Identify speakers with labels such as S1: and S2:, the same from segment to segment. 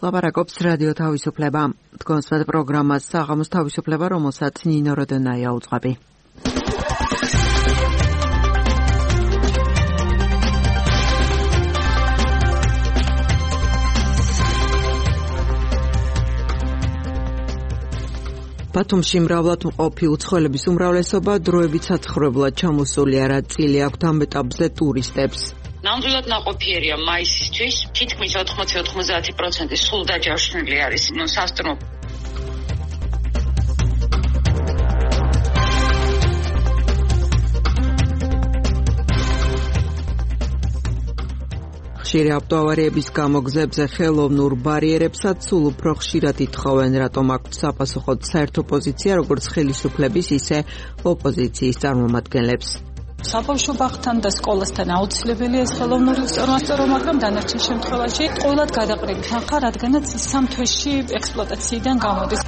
S1: ლაპარაკობს რადიო თავისუფლება. თქვენს პროგრამას საღამოს თავისუფლება, რომელსაც ნინო როდონაია უძღვები. ბათუმში მრავლად მყოფი უცხოელების უმრავლესობა დროებით საცხოვრებლად ჩამოსულია, რაც წილი აქვთ ამ ეტაპზე ტურისტებს.
S2: ნამდვილად ნაყოფიერია მაისისთვის, თითქმის 80-90% სულ დაჯავშნილი არის სასტუმრო.
S1: ხშირი ავტოავარიების გამო გზებზე ხელოვნურ ბარიერებსაც სულ უფრო ხშირად ითხოვენ, რატომ აქვთ საპასუხოდ საერთო პოზიცია როგორც ხელისუფლების, ისე ოპოზიციის წარმომადგენლებს.
S3: საბავშვო ბაღთან და სკოლასთან აუცილებელია ეს ხელოვნური უსწორმასწორო, მაგრამ დანარჩენ შემთხვევაში ყოველად გადაყრებით ახლა, რადგანაც 3 თვეში ექსპლუატაციიდან გამოდის.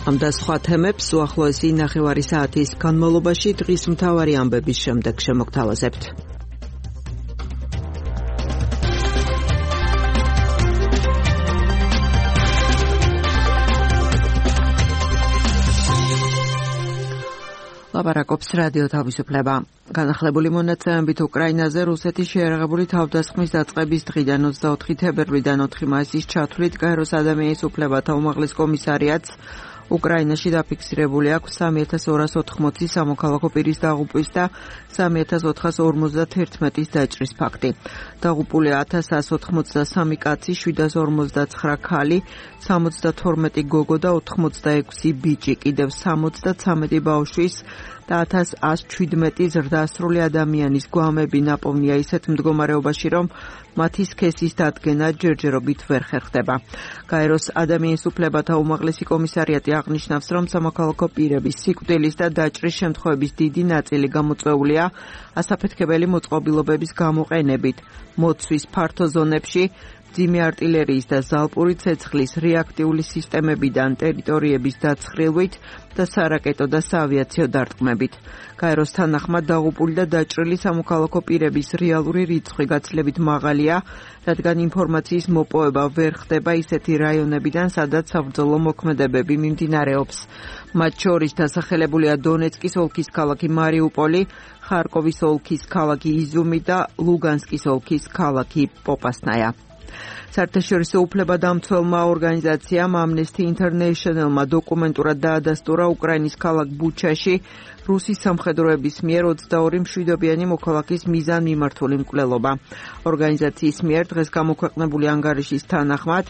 S1: ამ და სხვა თემებს უახლოესი 9 საათის განმავლობაში დღის მთავარი ამბების შემდეგ შემოგთავაზებთ. ლაპარაკობს რადიო თავისუფლება. განახლებული მონაცემებით უკრაინაზე რუსეთის შეიარაღებული თავდასხმის დაწყების დღიდან 24 თებერვლიდან 4 მაისის ჩათვლით გაეროს ადამიანის უფლებათა უმაღლეს კომისარიატს უკრაინაში დაფიქსირებული აქვს 3280 სამოქალაქო პირის დაღუპვის და 3451-ის დაჭრის ფაქტი. დაღუპულია 1183 კაცი, 759 ქალი, 72 გოგო და 86 ბიჭი, კიდევ 73 ბავშვის და 1117 ზრდასრული ადამიანის გვამები ნაპოვნია ისეთ მდგომარეობაში, რომ მათი სქესის დადგენა ჯერჯერობით ვერ ხერხდება. გაეროს ადამიანის უფლებათა უმაღლესი კომისარიატი აღნიშნავს, რომ სამოქალაქო პირების სიკვდილის და დაჭრის შემთხვევების დიდი ნაწილი გამოწვეულია ასაფეთქებელი მოწყობილობების გამოყენებით, მოცვის ფართო ზონებში, ძიმე არტილერიის და ზალპური ცეცხლის რეაქტიული სისტემებიდან ტერიტორიების დაცხრილვით და სარაკეტო და საავიაციო დარტყმებით. გაეროს თანახმად დაღუპული და დაჭრილი სამოქალაქო პირების რეალური რიცხვი გაცილებით მაღალია, რადგან ინფორმაციის მოპოვება ვერ ხდება ისეთი რაიონებიდან, სადაც საბრძოლო მოქმედებები მიმდინარეობს. მათ შორის დასახელებულია დონეცკის ოლქის ქალაქი მარიუპოლი, ხარკოვის ოლქის ქალაქი იზუმი და ლუგანსკის ოლქის ქალაქი პოპასნაია. საერთაშორისო უფლებადამცველმა ორგანიზაციამ Amnesty International-მა დოკუმენტურად დაადასტურა უკრაინის ქალაქ ბუჩაში რუსის სამხედროების მიერ 22 მშვიდობიანი მოქალაქის მიზანმიმართული მკვლელობა. ორგანიზაციის მიერ დღეს გამოქვეყნებული ანგარიშის თანახმად,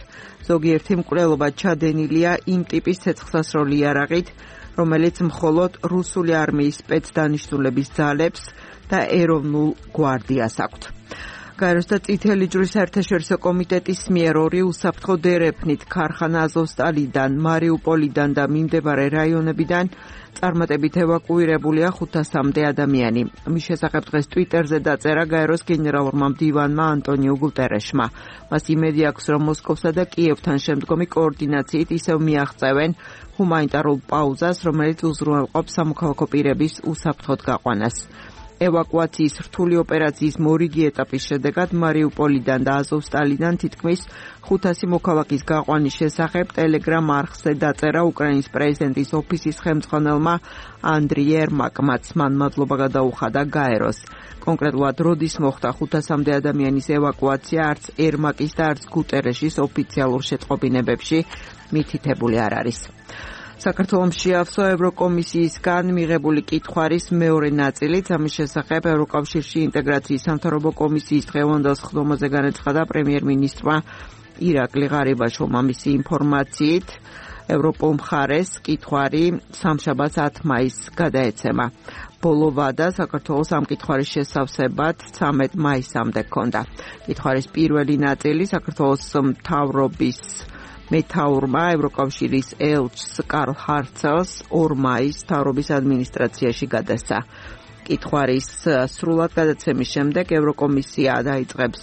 S1: ზოგიერთი მკვლელობა ჩადენილია იმ ტიპის ცეცხლსასროლი იარაღით, რომელიც მხოლოდ რუსული არმიის სპეცდანიშნულების ძალებს და ეროვნულ გვარდიას აქვთ. გაეროს და წითელი ჯვრის საერთაშორისო კომიტეტის მიერ 2 უსაფრთხო დერეფნით ქარხანა აზოვსტალიდან, მარიუპოლიდან და მიმდებარე რაიონებიდან წარმატებით ევაკუირებულია 500-მდე ადამიანი. მის შესახებ დღეს ტვიტერზე დაწერა გაეროს გენერალურმა მდივანმა ანტონიო გუტერეშმა. მას იმედი აქვს, რომ მოსკოვსა და კიევთან შემდგომი კოორდინაციით ისევ მიაღწევენ ჰუმანიტარულ პაუზას, რომელიც უზრუნველყოფს სამოქალაქო პირების უსაფრთხოდ გაყვანას. ევაკუაციის რთული ოპერაციის მორიგი ეტაპის შედეგად მარიუპოლიდან და აზოვსტალიდან თითქმის 500 მოქალაქის გაყვანის შესახებ ტელეგრამ არხზე დაწერა უკრაინის პრეზიდენტის ოფისის ხელმძღვანელმა ანდრიი ერმაკმაც. მან მადლობა გადაუხადა გაეროს. კონკრეტულად როდის მოხდა 500-მდე ადამიანის ევაკუაცია, არც ერმაკის და არც გუტერეშის ოფიციალურ შეტყობინებებში მითითებული არ არის. საქართველოს შეავსო ევროკომისიისგან მიღებული კითხვარის მეორე ნაწილით, ამის შესახებ ევროკავშირში ინტეგრაციის სამთავრობო კომისიის დღევანდელ სხდომაზე განაცხადა პრემიერ-მინისტრმა ირაკლი ღარიბაშვილმა. მისი ინფორმაციით, ევროპულ მხარეს კითხვარი სამშაბათს 10 მაისს გადაეცემა. ბოლო ვადა საქართველოს ამ კითხვარის შესავსებად 13 მაისამდე ჰქონდა. კითხვარის პირველი ნაწილი საქართველოს მთავრობის მეთაურმა ევროკავშირის ელჩს კარლ ჰარცელს 2 მაისს მთავრობის ადმინისტრაციაში გადასცა. კითხვარის სრულად გადაცემის შემდეგ ევროკომისია დაიწყებს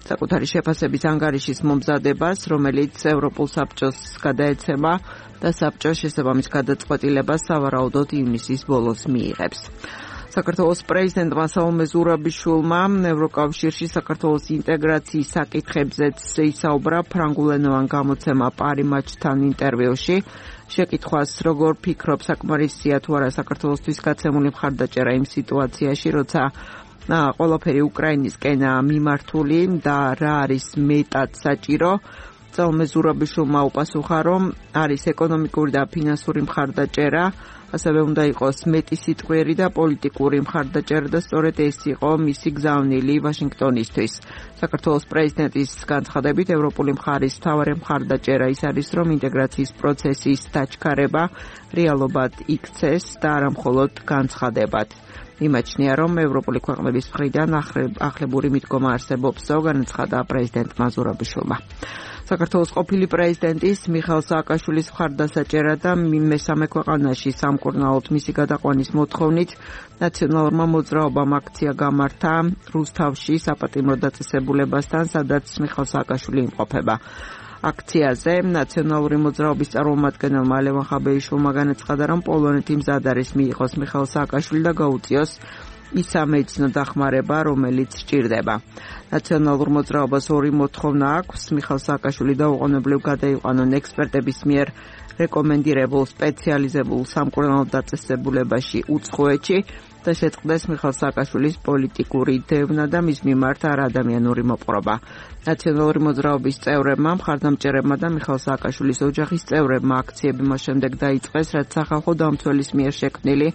S1: საკუთარი შეფასების ანგარიშის მომზადებას, რომელიც ევროპულ საბჭოს გადაეცემა და საბჭო შესაბამის გადაწყვეტილებას სავარაუდოდ ივნისის ბოლოს მიიღებს. საქართველოს პრეზიდენტმა საუმე ზურაბიშვილმა ევროკავშირში საქართველოს ინტეგრაციის საკითხებზეც ისაუბრა ფრანგულენოვან გამოცემა პარიმაჩთან ინტერვიუში. შეკითხვას როგორ ფიქრობ, საკმარისია თუ არა საქართველოსთვის გაცემული მხარდაჭერა იმ სიტუაციაში, როცა ყველაფერი უკრაინისკენაა მიმართული და რა არის მეტად საჭირო. საუმე ზურაბიშვილმა უპასუხა, რომ არის ეკონომიკური და ფინანსური მხარდაჭერა, ასევე უნდა იყოს მეტი სიტყვიერი და პოლიტიკური მხარდაჭერა და სწორედ ეს იყო მისი გზავნილი ვაშინგტონისთვის. საქართველოს პრეზიდენტის განცხადებით, ევროპული მხარის მთავარი მხარდაჭერა ის არის, რომ ინტეგრაციის პროცესის დაჩქარება რეალობად იქცეს და არა მხოლოდ განცხადებად. იმაჩნია, რომ ევროპული ქვეყნების მხრიდან ახლებური მიდგომა არსებობს, განაცხადა პრეზიდენტმა ზურაბიშვილმა. საქართველოს ყოფილი პრეზიდენტის მიხეილ სააკაშვილის მხარდასაჭერა და მესამე ქვეყანაში სამკურნალოდ მისი გადაყვანის მოთხოვნით ნაციონალურმა მოძრაობამ აქცია გამართა რუსთავში საპატიმრო დაწესებულებასთან, სადაც მიხეილ სააკაშვილი იმყოფება. აქციაზე ნაციონალური მოძრაობის წარმომადგენელმა ლევან ხაბეიშვილმა განაცხადა, რომ პოლონეთი მზად არის მიიღოს მიხეილ სააკაშვილი და გაუწიოს ის სამედიცინო დახმარება, რომელიც სჭირდება. ნაციონალურ მოძრაობას ორი მოთხოვნა აქვს: მიხეილ სააკაშვილი დაუყოვნებლივ გადაიყვანონ ექსპერტების მიერ რეკომენდირებულ სპეციალიზებულ სამკურნალო დაწესებულებაში უცხოეთში და შეწყდეს მიხეილ სააკაშვილის პოლიტიკური დევნა და მის მიმართ არაადამიანური მოპყრობა. ნაციონალური მოძრაობის წევრებმა, მხარდამჭერებმა და მიხეილ სააკაშვილის ოჯახის წევრებმა აქციები მას შემდეგ დაიწყეს, რაც სახალხო დამცველის მიერ შექმნილი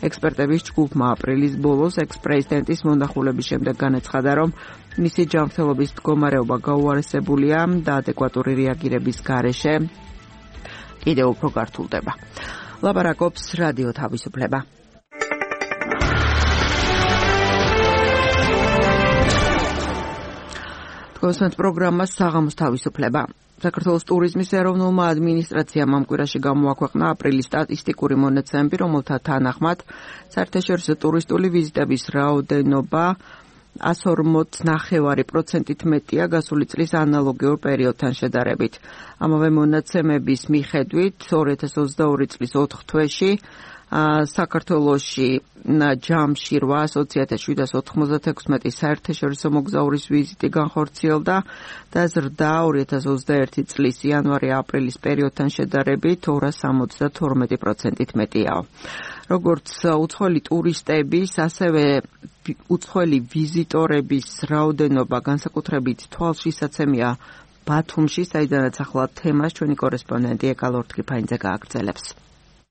S1: ექსპერტების ჯგუფმა აპრილის ბოლოს ექს-პრეზიდენტის მონახულების შემდეგ განაცხადა, რომ მისი ჯანმრთელობის მდგომარეობა გაუარესებულია და ადეკვატური რეაგირების გარეშე კიდევ უფრო გართულდება. ლაპარაკობს რადიო თავისუფლება. კონსტანტ პროგრამას საღამოს თავისუფლება. საქართველოს ტურიზმის ეროვნულმა ადმინისტრაციამ ამ კვირაში გამოაქვეყნა აპრილის სტატისტიკური მონაცემები, რომელთა თანახმად საერთაშორისო ტურისტული ვიზიტების რაოდენობა 140.9%-ით მეტია გასული წლის ანალოგიურ პერიოდთან შედარებით. ამავე მონაცემების მიხედვით 2022 წლის 4 თვეში საქართველოში ჯამში 800,796 საერთაშორისო მოგზაურის ვიზიტი განხორციელდა და ზრდა 2021 წლის იანვარი-აპრილის პერიოდთან შედარებით 272%-ით მეტია. როგორც უცხოელი ტურისტების, ასევე უცხოელი ვიზიტორების რაოდენობა განსაკუთრებით თვალშისაცემია ბათუმში, საიდანაც ახლა თემას ჩვენი კორესპონდენტი ეკალორთქიფაინძე გააგრძელებს.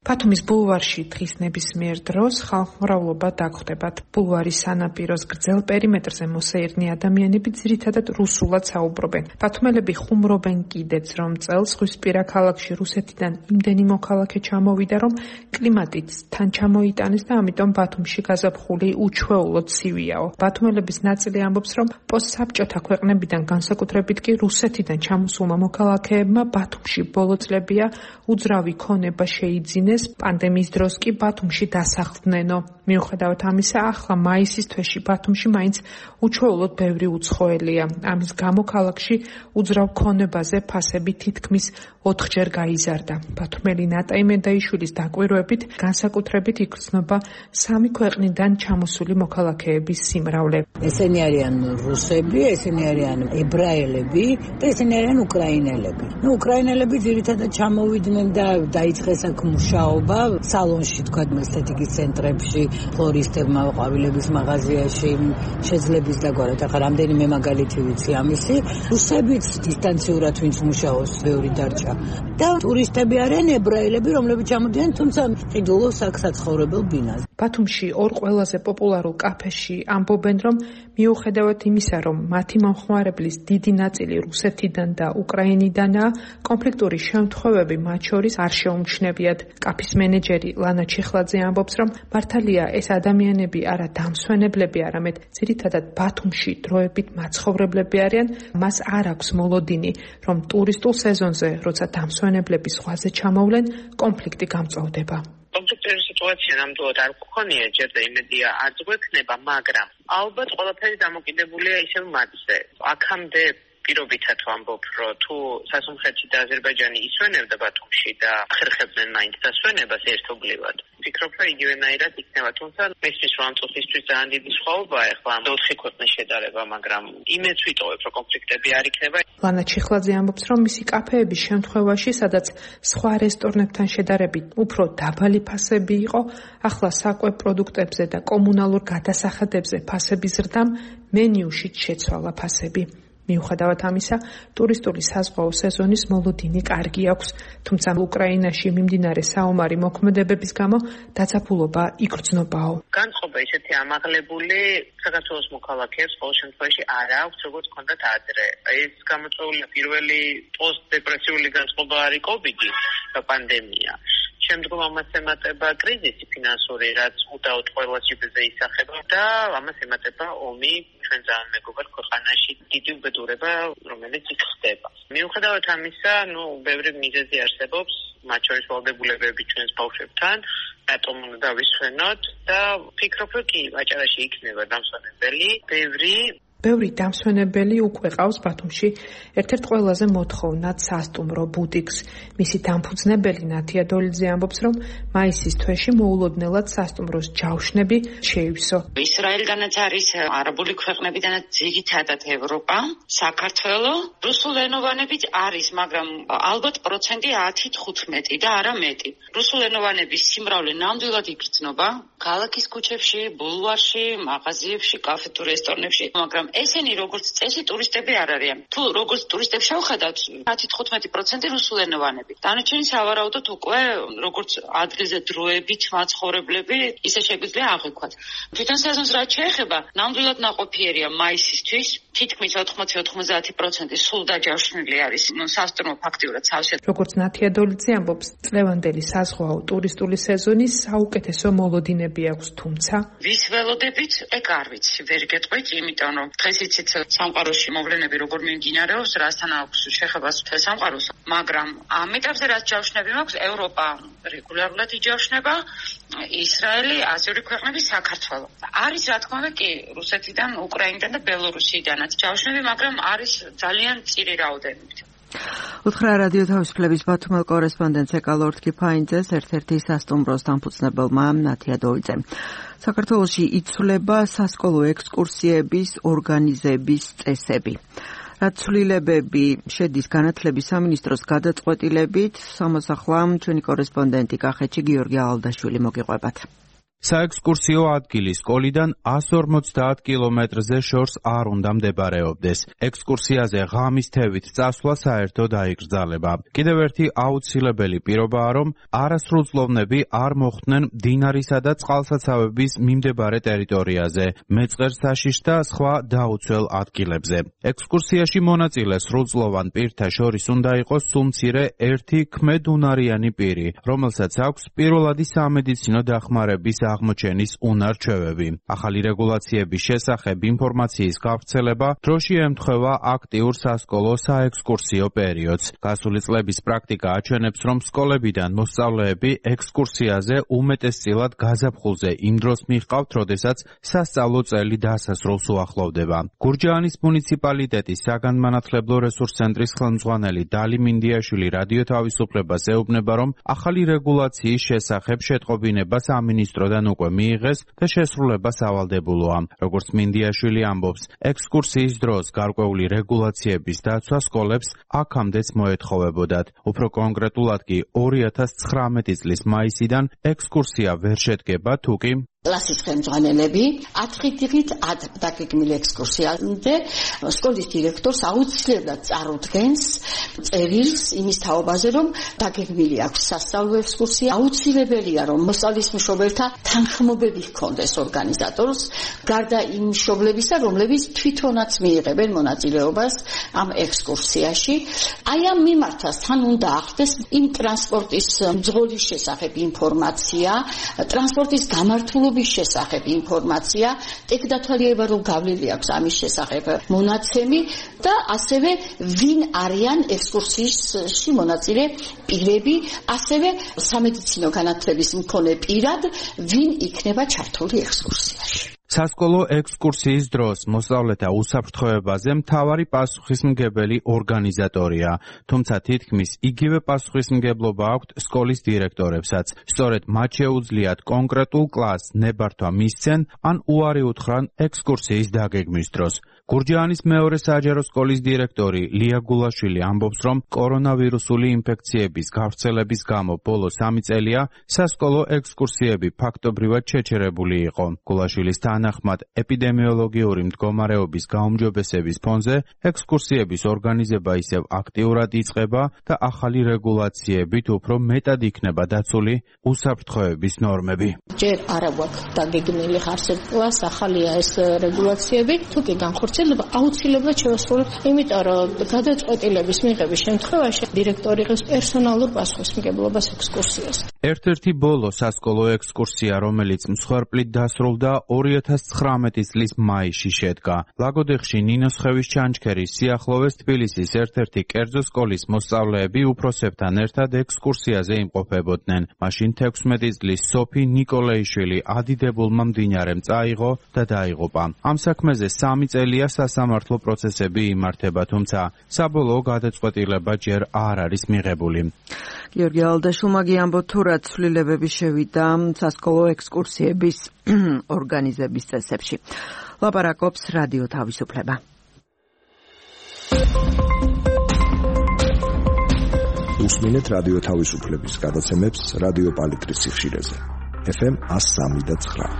S4: ბათუმის ბულვარში დღის ნებისმიერ დროს ხალხმრავლობა დაგხვდებათ. ბულვარის სანაპიროს გრძელ პერიმეტრზე მოსაერნი ადამიანები ძირითადად რუსულად საუბრობენ. ბათუმელები ხუმრობენ კიდეც, რომ წელს ზღვისპირა ქალაქში რუსეთიდან იმდენი მოქალაქე ჩამოვიდა, რომ კლიმატიც თან ჩამოიტანეს და ამიტომ ბათუმში გაზაფხული უჩვეულოდ ცივიაო. ბათუმელების ნაწილი ამბობს, რომ პოსტსაბჭოთა ქვეყნებიდან განსაკუთრებით კი რუსეთიდან ჩამოსულმა მოქალაქეებმა ბათუმში ბოლო წლებია უძრავი ქონება შეიძინეს. პანდემიის დროს კი ბათუმში დასახლდნენო. მიუხედავად ამისა, ახლა მაისის თვეში ბათუმში მაინც უჩვეულოდ ბევრი უცხოელია. ამის გამო ქალაქში უძრავ ქონებაზე ფასები თითქმის 4-ჯერ გაიზარდა. ბათუმელი ნატაი მედაიშვილის დაკვირვებით, განსაკუთრებით იგრძნობა 3 ქვეყნიდან ჩამოსული მოქალაქეების სიმრავლე.
S5: ესენი არიან რუსები, ესენი არიან ებრაელები და ესენი არიან უკრაინელები. უკრაინელები ძირითადად ჩამოვიდნენ და დაიწყეს აქ მუშაობა სალონში, თქვა ესთეტიკის ცენტრებში, ფლორისტებმა, ყვავილების მაღაზიაში, შეძლების დაგვარად. ახლა რამდენიმე მაგალითი ვიცი ამისი. რუსებიც დისტანციურად ვინც მუშაობს, ბევრი დარჩა. და ტურისტები არიან ებრაელები, რომლებიც ჩამოდიან, თუმცა ყიდულობს აქ საცხოვრებელ ბინაზე.
S4: ბათუმში ორ ყველაზე პოპულარულ კაფეში ამბობენ, რომ მიუხედავად იმისა, რომ მათი მომხმარებლის დიდი ნაწილი რუსეთიდან და უკრაინიდანაა, კონფლიქტური შემთხვევები მათ შორის არ შეუმჩნევიათ. კაფის მენეჯერი ლანა ჩიხლაძე ამბობს, რომ მართალია ეს ადამიანები არა დამსვენებლები, არამედ ძირითადად ბათუმში დროებით მაცხოვრებლები არიან, მას არ აქვს მოლოდინი, რომ ტურისტულ სეზონზე, როცა დამსვენებლები ზღვაზე ჩამოვლენ, კონფლიქტი გამწვავდება.
S2: კონფლიქტური
S6: სიტუაცია ნამდვილად არ გქონია, ჯერ და იმედია არც გვექნება, მაგრამ ალბათ ყველაფერი დამოკიდებულია ისევ მათზე. აქამდე პირობითად ვამბობ, რომ თუ სასუნხეთში და აზერბაიჯანი ისვენებდა ბათუმში და ხერხებდნენ მაინც დასვენებას ერთობლივად. ვფიქრობ, რომ იგივენაირად იქნება, თუმცა მისთვის რომ ამ წუთისთვის ძალიან დიდი სხვაობაა ახლა ამ 4 ქვეყნის შედარება, მაგრამ იმედს ვიტოვებ, რომ კონფლიქტები არ იქნება.
S4: ლანა ჩიხლაძე ამბობს, რომ მისი კაფეების შემთხვევაში, სადაც სხვა რესტორნებთან შედარებით უფრო დაბალი ფასები იყო, ახლა საკვებ პროდუქტებზე და კომუნალურ გადასახადებზე ფასების ზრდამ მენიუშიც შეცვალა ფასები. მიუხედავად ამისა, ტურისტული საზღვაო სეზონის მოლოდინი კარგი აქვს, თუმცა უკრაინაში მიმდინარე საომარი მოქმედებების გამო დაძაბულობა იგრძნობაო.
S6: განწყობა ისეთი ამაღლებული საქართველოს მოქალაქეებს ყოველ შემთხვევაში არ აქვს, როგორც ჰქონდათ ადრე. ეს გამოწვეულია პირველი პოსტდეპრესიული განწყობა არის კოვიდი და პანდემია. შემდგომ ამას ემატება კრიზისი ფინანსური, რაც უდაოდ ყველა ჯიბეზე ისახება და ამას ემატება ომი ჩვენ ძალიან მეგობარ ქვეყანაში დიდი უბედურება, რომელიც იქ ხდება. მიუხედავად ამისა, ბევრი მიზეზი არსებობს, მათ შორის ვალდებულებები ჩვენს ბავშვებთან, რატომ უნდა დავისვენოთ და ვფიქრობ, რომ კი, აჭარაში იქნება დამსვენებელი,
S4: ბევრი დამსვენებელი უკვე ყავს ბათუმში ერთ-ერთ ყველაზე მოთხოვნად სასტუმრო ბუტიკს. მისი დამფუძნებელი ნათია დოლიძე ამბობს, რომ მაისის თვეში მოულოდნელად სასტუმროს ჯავშნები შეივსო.
S2: ისრაელგანაც არის არაბული ქვეყნებიდანაც ძირითადად ევროპა, საქართველო, რუსულენოვანებიც არის, მაგრამ ალბათ პროცენტი 10-15 და არა მეტი. რუსულენოვანების სიმრავლე ნამდვილად იგრძნობა ქალაქის ქუჩებში, ბულვარში, მაღაზიებში, კაფე თუ რესტორნებში, მაგრამ ესენი როგორც წესი ტურისტები არ არიან. თუ როგორც ტურისტებს შევხედავთ, 10-15% რუსულენოვანები. დანარჩენი სავარაუდოდ უკვე როგორც ადგილზე დროებით მაცხოვრებლები, ისე შეგვიძლია აღვიქვათ. თვითონ სეზონს რაც შეეხება, ნამდვილად ნაყოფიერია მაისისთვის, თითქმის 80-90% სულ დაჯავშნილი არის სასტუმრო ფაქტიურად სავსე.
S4: როგორც ნათია დოლიძე ამბობს, წლევანდელი საზღვაო ტურისტული სეზონის საუკეთესო მოლოდინები აქვს, თუმცა
S2: ვის ველოდებით, ეგ არ ვიცი, ვერ გეტყვით, იმიტომ რომ დღეს იცით სამყაროში მოვლენები როგორ მიმდინარეობს, რასთან აქვს შეხებას მთელ სამყაროს, მაგრამ ამ ეტაპზე რაც ჯავშნები მაქვს, ევროპა რეგულარულად იჯავშნება, ისრაელი, აზიური ქვეყნები, საქართველო. არის რა თქმა უნდა კი რუსეთიდან, უკრაინიდან და ბელორუსიიდანაც ჯავშნები, მაგრამ არის ძალიან მწირი რაოდენობით.
S1: უთხრა რადიო თავისუფლების ბათუმელ კორესპონდენტს ეკალორთ კიფაინძეს, ერთ-ერთი სასტუმროს დამფუძნებელმა ნათია დოლიძემ. საქართველოში იცვლება სასკოლო ექსკურსიების ორგანიზების წესები. რაც ცვლილებები შედის განათლების სამინისტროს გადაწყვეტილებით, სამოსახლა ჩვენი კორესპონდენტი კახეთში გიორგი ალდაშვილი მოგიყვებათ.
S7: საექსკურსიო ადგილი სკოლიდან 150 კილომეტრზე შორს არ უნდა მდებარეობდეს. ექსკურსიაზე ღამის თევით წასვლა საერთოდ აიგრძალება. კიდევ ერთი აუცილებელი პირობაა, რომ არასრულწლოვნები არ მოხვდნენ მდინარისა და წყალსაცავების მიმდებარე ტერიტორიაზე, მეწყერსაშიშ და სხვა დაუცველ ადგილებზე. ექსკურსიაში მონაწილე სრულწლოვან პირთა შორის უნდა იყოს სულმცირე ერთი ქმედუნარიანი პირი, რომელსაც აქვს პირველადი სამედიცინო დახმარების აღმოჩენის უნარ-ჩვევები. ახალი რეგულაციების შესახებ ინფორმაციის გავრცელება დროში ემთხვევა აქტიურ სასკოლო საექსკურსიო პერიოდს. გასული წლების პრაქტიკა აჩვენებს, რომ სკოლებიდან მოსწავლეები ექსკურსიაზე უმეტესწილად გაზაფხულზე იმ დროს მიჰყავთ, როდესაც სასწავლო წელი დასასრულს უახლოვდება. გურჯაანის მუნიციპალიტეტის საგანმანათლებლო რესურს ცენტრის ხელმძღვანელი დალი მინდიაშვილი რადიო თავისუფლებას ეუბნება, რომ ახალი რეგულაციის შესახებ შეტყობინება სამინისტროდან უკვე მიიღეს და შესრულება სავალდებულოა. როგორც მინდიაშვილი ამბობს, ექსკურსიის დროს გარკვეული რეგულაციების დაცვა სკოლებს აქამდეც მოეთხოვებოდათ. უფრო კონკრეტულად კი 2019 წლის მაისიდან ექსკურსია ვერ შედგება, თუკი
S8: კლასის ხელმძღვანელები 10 დღით დაგეგმილი ექსკურსიამდე სკოლის დირექტორს აუცილებლად წარუდგენს წერილს იმის თაობაზე, რომ დაგეგმილი აქვს სასწავლო ექსკურსია. აუცილებელია, რომ მოსწავლის მშობელთა თანხმობები ჰქონდეს ორგანიზატორს, გარდა იმ მშობლებისა, რომლებიც თვითონაც მიიღებენ მონაწილეობას ამ ექსკურსიაში. აი ამ მიმართასთან უნდა ახდეს იმ ტრანსპორტის მძღოლის შესახებ ინფორმაცია, ტრანსპორტის გამართულების მუშაობის შესახებ ინფორმაცია, ტექდათვალიერება რომ გავლილი აქვს ამის შესახებ მონაცემი და ასევე ვინ არიან ექსკურსიაში მონაწილე პირები, ასევე სამედიცინო განათლების მქონე პირად ვინ იქნება ჩართული ექსკურსიაში.
S7: სასკოლო ექსკურსიის დროს მოსწავლეთა უსაფრთხოებაზე მთავარი პასუხისმგებელი ორგანიზატორია, თუმცა თითქმის იგივე პასუხისმგებლობა აქვთ სკოლის დირექტორებსაც. სწორედ მათ შეუძლიათ კონკრეტულ კლასს ნებართვა მისცენ ან უარი უთხრან ექსკურსიის დაგეგმვის დროს. გურჯაანის მეორე საჯარო სკოლის დირექტორი ლია გულაშვილი ამბობს, რომ კორონავირუსული ინფექციების გავრცელების გამო ბოლო 3 წელია სასკოლო ექსკურსიები ფაქტობრივად შეჩერებული იყო. გულაშვილის თანახმად, ეპიდემიოლოგიური მდგომარეობის გაუმჯობესების ფონზე ექსკურსიების ორგანიზება ისევ აქტიურად იწყება და ახალი რეგულაციებით უფრო მეტად იქნება დაცული უსაფრთხოების ნორმები.
S9: ჯერ არა გვაქვს დაგეგმილი ხარსებკლას, ახალია ეს რეგულაციები, თუ კი განხორციელდება აუცილებლად შევასრულებთ, იმიტომ რომ გადაწყვეტილების მიღების შემთხვევაში დირექტორი იღებს პერსონალურ პასუხისმგებლობას ექსკურსიას.
S7: ერთ-ერთი ბოლო სასკოლო ექსკურსია, რომელიც მსხვერპლით დასრულდა 2019 წლის მაისში შედგა. ლაგოდეხში ნინოსხევის ჩანჩქერის სიახლოვეს თბილისის ერთ-ერთი კერძო სკოლის მოსწავლეები უფროსებთან ერთად ექსკურსიაზე იმყოფებოდნენ. მაშინ 16 წლის სოფი ნიკოლეიშვილი ადიდებულმა მდინარემ წაიღო და დაიღუპა. ამ საქმეზე 3 წელია სასამართლო პროცესები იმართება, თუმცა საბოლოო გადაწყვეტილება ჯერ არ არის მიღებული.
S1: გიორგი ალდაშულმა გიამბოთ, თუ რა ცვლილებები შევიდა სასკოლო ექსკურსიების ორგანიზების წესებში. ლაპარაკობს რადიო თავისუფლება.
S10: უსმინეთ რადიო თავისუფლების გადაცემებს რადიო პალიტრის სიხშირეზე. FM 103.9.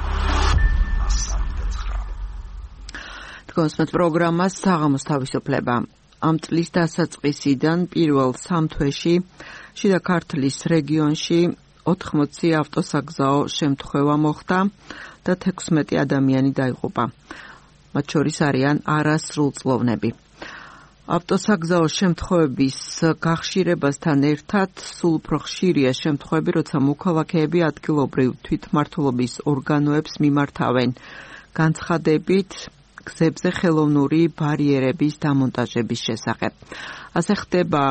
S1: თქვენს პროგრამას საღამოს თავისუფლება. ამ წლის დასაწყისიდან პირველ 3 თვეში შიდა ქართლის რეგიონში 80 ავტოსაგზაო შემთხვევა მოხდა და 16 ადამიანი დაიღუპა. მათ შორის არიან არასრულწლოვნები. ავტოსაგზაო შემთხვევების გახშირებასთან ერთად სულ უფრო ხშირია შემთხვევები, როცა მოქალაქეები ადგილობრივ თვითმმართველობის ორგანოებს მიმართავენ განცხადებით გზებზე ხელოვნური ბარიერების დამონტაჟების შესახებ. ასე ხდება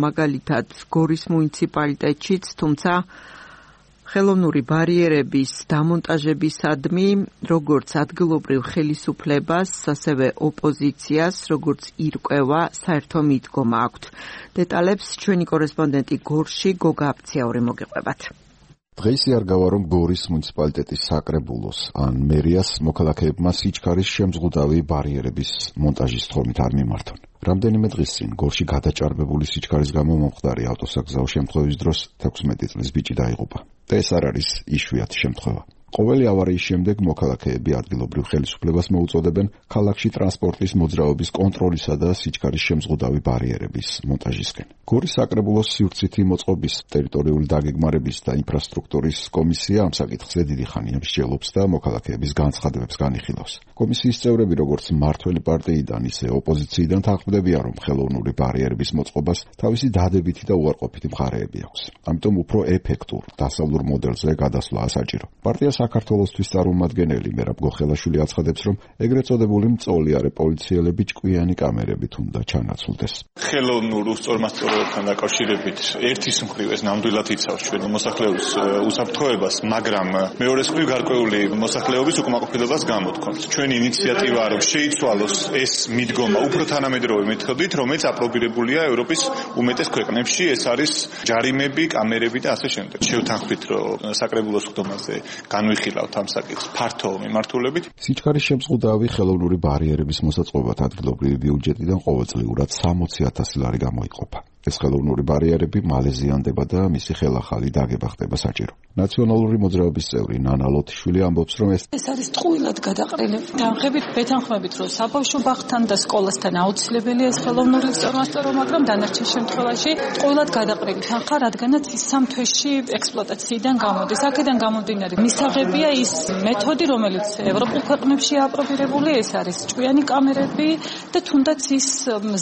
S1: მაგალითად გორის მუნიციპალიტეტშიც, თუმცა ხელოვნური ბარიერების დამონტაჟებისადმი როგორც ადგილობრივ ხელისუფლებას, ასევე ოპოზიციას, როგორც ირკვევა, საერთო მიდგომა აქვთ. დეტალებს ჩვენი კორესპონდენტი გორში გოგა აფციაური მოგიყვებათ.
S11: დღეს იარგავა, რომ გორის მუნიციპალიტეტის საკრებულოს ან მერიას მოქალაქეებმა სიჩქარის შემზღუდავი ბარიერების მონტაჟის თხოვნით არ მიმართონ. რამდენიმე დღის წინ გორში გადაჭარბებული სიჩქარის გამო მომხდარი ავტოსაგზაო შემთხვევის დროს 16 წლის ბიჭი დაიღუპა. და ეს არ არის იშვიათი შემთხვევა. ყოველი ავარიის შემდეგ მოქალაქეები ადგილობრივ ხელისუფლებას მოუწოდებენ ქალაქში ტრანსპორტის მოძრაობის კონტროლისა და სიჩქარის შემზღუდავი ბარიერების მონტაჟისკენ. გორის საკრებულოს სივრცითი მოწყობის, ტერიტორიული დაგეგმარების და ინფრასტრუქტურის კომისია ამ საკითხზე დიდი ხანია მსჯელობს და მოქალაქეების განცხადებებს განიხილავს. კომისიის წევრები, როგორც მმართველი პარტიიდან, ისე ოპოზიციიდან თანხმდებიან, რომ ხელოვნური ბარიერების მოწყობას თავისი დადებითი და უარყოფითი მხარეები აქვს. ამიტომ უფრო ეფექტურ დასავლურ მოდელზე გადასვლა საჭირო. პარტია საქართველოსთვის წარმომადგენელი მერაბ გოხელაშვილი აცხადებს, რომ ეგრეთ წოდებული მწოლიარე პოლიციელები ჭკვიანი კამერებით უნდა ჩანაცვლდეს.
S12: ხელოვნურ უსწორმასწორობებთან დაკავშირებით ერთის მხრივ ეს ნამდვილად იცავს ჩვენ მოსახლეობის უსაფრთხოებას, მაგრამ მეორეს მხრივ გარკვეული მოსახლეობის უკმაყოფილებას გამოთქვამს. ჩვენი ინიციატივაა, რომ შეიცვალოს ეს მიდგომა უფრო თანამედროვე მეთოდით, რომელიც აპრობირებულია ევროპის უმეტეს ქვეყნებში. ეს არის ჯარიმები, კამერები და ასე შემდეგ. შევთანხმდით, რომ საკრებულოს ხდომაზე განვიხილავთ ამ საკითხს ფართო მიმართულებით.
S11: სიჩქარის შემზღუდავი ხელოვნური ბარიერების მოსაწყობად ადგილობრივი ბიუჯეტიდან ყოველწლიურად 60,000 ლარი გამოიყოფა. ეს ხელოვნური ბარიერები მალე ზიანდება და მისი ხელახალი დაგება ხდება საჭირო. ნაციონალური მოძრაობის წევრი ნანა ლოთიშვილი ამბობს, რომ ეს
S3: არის ტყუილად გადაყრილი. თანხებით ვეთანხმებით, რომ საბავშვო ბაღთან და სკოლასთან აუცილებელია ეს ხელოვნური უსწორმასწორო, მაგრამ დანარჩენ შემთხვევაში ტყუილად გადაყრილი თანხა, რადგანაც ის 3 თვეში ექსპლუატაციიდან გამოდის. აქედან გამომდინარე, მისაღებია ის მეთოდი, რომელიც ევროპულ ქვეყნებში აპრობირებული, ეს არის ჭკვიანი კამერები და თუნდაც ის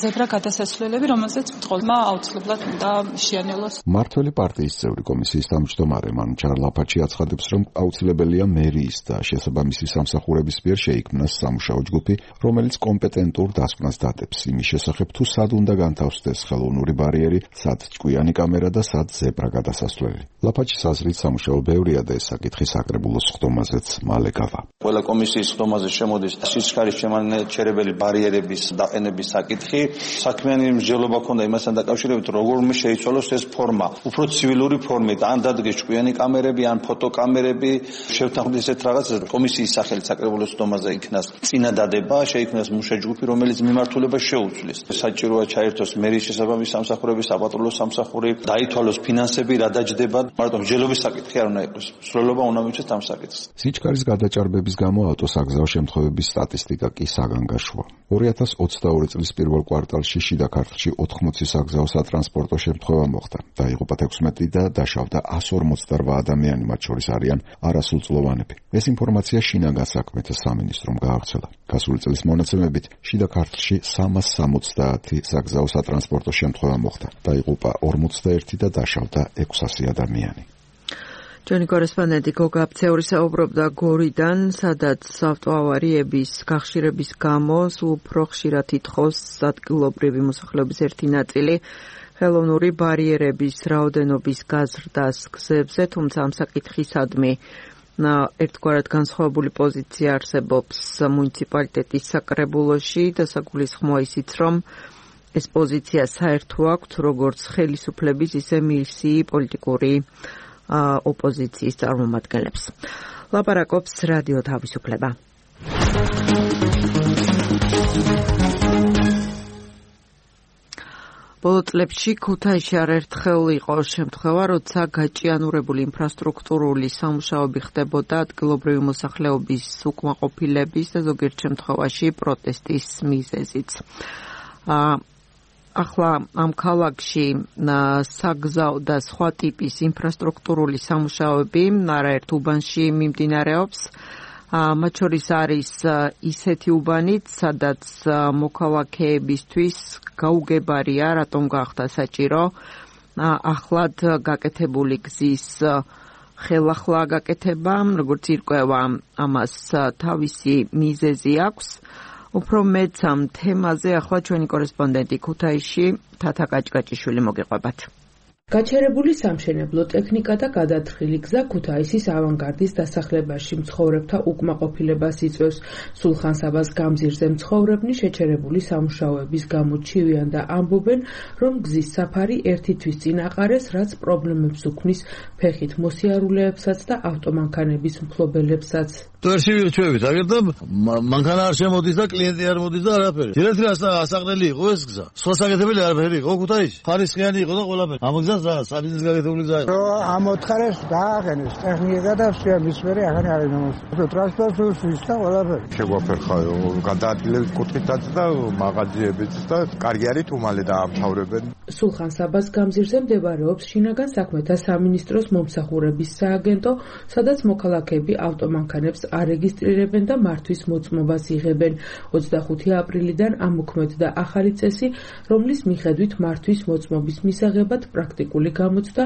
S3: ზებრა გადასასვლელები, რომელზეც მძღოლმა აუცილებლად უნდა შეანელოს.
S11: მართველი პარტიის წევრი კომისიის თავმჯდომარე მანუჩარ ლაფაჩი აცხადებს, რომ აუცილებელია მერიის და შესაბამისი სამსახურების მიერ შეიქმნას სამუშაო ჯგუფი, რომელიც კომპეტენტურ დასკვნას დადებს იმის შესახებ, თუ სად უნდა განთავსდეს ხელოვნური ბარიერი, სად ჭკვიანი კამერა და სად ზებრა გადასასვლელი. ლაფაჩის აზრით სამუშაო ბევრია და ეს საკითხი საკრებულოს ხდომაზეც მალე გავა.
S13: ყველა კომისიის ხდომაზე შემოდის სიჩქარის შემანაჩერებელი ბარიერების დაყენების საკითხი. საქმიანი მსჯელობა ქონდა იმასთან დაკავშირებით, როგორ უნდა შეიცვალოს ეს ფორმა. უფრო ცივილური ფორმით, ან დადგეს ჭკვიანი კამერები, ან ფოტოკამერები, შევთანხმდით ესეთ რაღაცას. კომისიის სახელით საკრებულოს ხდომაზე იქნას წინადადება, შეიქმნას მუშაჯგუფი, რომელიც მიმართულებას შეუცვლის. საჭიროა ჩაერთოს მერიის შესაბამისი სამსახურების, საპატრულო სამსახური, დაითვალოს ფინანსები, რა დაჯდება. მარტო მსჯელობის საკითხი არ უნდა იყოს. სრულობა უნდა მივცეს ამ საკითხს.
S11: სიჩქარის გადაჭარბების გამო ავტოსაგზაო შემთხვევების სტატისტიკა კი საგანგაშოა. 2022 წლის პირველ კვარტალში შიდა ქართლში 80 საგზაო სატრანსპორტო შემთხვევა მოხდა. დაიღუპა 16 და დაშავდა 148 ადამიანი, მათ შორის არიან არასრულწლოვანები. ეს ინფორმაცია შინაგან საქმეთა სამინისტრომ გაავრცელა. გასული წლის მონაცემებით შიდა ქართლში 370 საგზაო სატრანსპორტო შემთხვევა მოხდა. დაიღუპა 41 და დაშავდა 600 ადამიანი.
S1: ჩვენი კორესპონდენტი გოგა აფცეული საუბრობდა გორიდან, სადაც ავტოავარიების გახშირების გამო სულ უფრო ხშირად ითხოვს ადგილობრივი მოსახლეობის ერთი ნაწილი ხელოვნური ბარიერების რაოდენობის გაზრდას გზებზე, თუმცა ამ საკითხისადმი ერთგვარად განსხვავებული პოზიცია არსებობს მუნიციპალიტეტის საკრებულოში და საგულისხმოა ისიც, რომ ეს პოზიცია საერთო აქვთ როგორც ხელისუფლების, ისე მისი პოლიტიკური ოპოზიციის წარმომადგენლებს. ლაპარაკობს რადიო თავისუფლება. ბოლო წლებში ქუთაისში არაერთხელ იყო შემთხვევა, როცა გაჭიანურებული ინფრასტრუქტურული სამუშაოები ხდებოდა ადგილობრივი მოსახლეობის უკმაყოფილების და ზოგიერთ შემთხვევაში პროტესტის მიზეზით. ახლა ამ ქალაქში საგზაო და სხვა ტიპის ინფრასტრუქტურული სამუშაოები არაერთ უბანში მიმდინარეობს. მათ შორის არის ისეთი უბანიც, სადაც მოქალაქეებისთვის გაუგებარია, რატომ გახდა საჭირო ახლად გაკეთებული გზის ხელახლა გაკეთება, როგორც ირკვევა, ამას თავისი მიზეზი აქვს. უფრო მეც ამ თემაზე ახლა ჩვენი კორესპონდენტი ქუთაისში თათა კაჭკაჭიშვილი მოგიყვებათ.
S4: გაჩერებული სამშენებლო ტექნიკა და გადათხილი გზა ქუთაისის ავანგარდის დასახლებაში მცხოვრებთა უკმაყოფილებას იწვევს. სულხან-საბას გამზირზე მცხოვრებნი შეჩერებული სამუშაოების გამო ჩივიან და ამბობენ, რომ გზის საფარი ერთი თვის წინ აყარეს, რაც პრობლემებს უქმნის ფეხით მოსიარულეებსაც და ავტომანქანების მფლობელებსაც.
S14: ტვერში ვირჩევით, აგერდა მანქანა არ შემოდის და კლიენტი არ მოდის და არაფერი. ერთ ასაღნელი იყო ეს გზა. სხვა საკეთებელი არაფერი იყო ქუთაისში. ხარისხიანი იყო და ყველაფერი. ამ გზას რა, საბიზნეს გაკეთებული გზა იყო.
S15: ამოთხარეს დააყენეს ტექნიკა და მისვერი ახალი არ იმოს. ტრანსპორტის და ყველაფერი.
S16: შეგვაფერხაო, გადაადგილებს კუთხითაც და მაღაზიებიც და კარგი არის თუმალე დაამთავრებენ.
S4: სულხან-საბას გამზირზე მდებარეობს შინაგან საქმეთა სამინისტროს მომსახურების სააგენტო, სადაც მოქალაქეები ავტომანქანებს არეგისტრირებენ და მართვის მოწმობას იღებენ. 25 აპრილიდან ამოქმედდა ახალი წესი, რომლის მიხედვით მართვის მოწმობის მისაღებად პრაქტიკული გამოცდა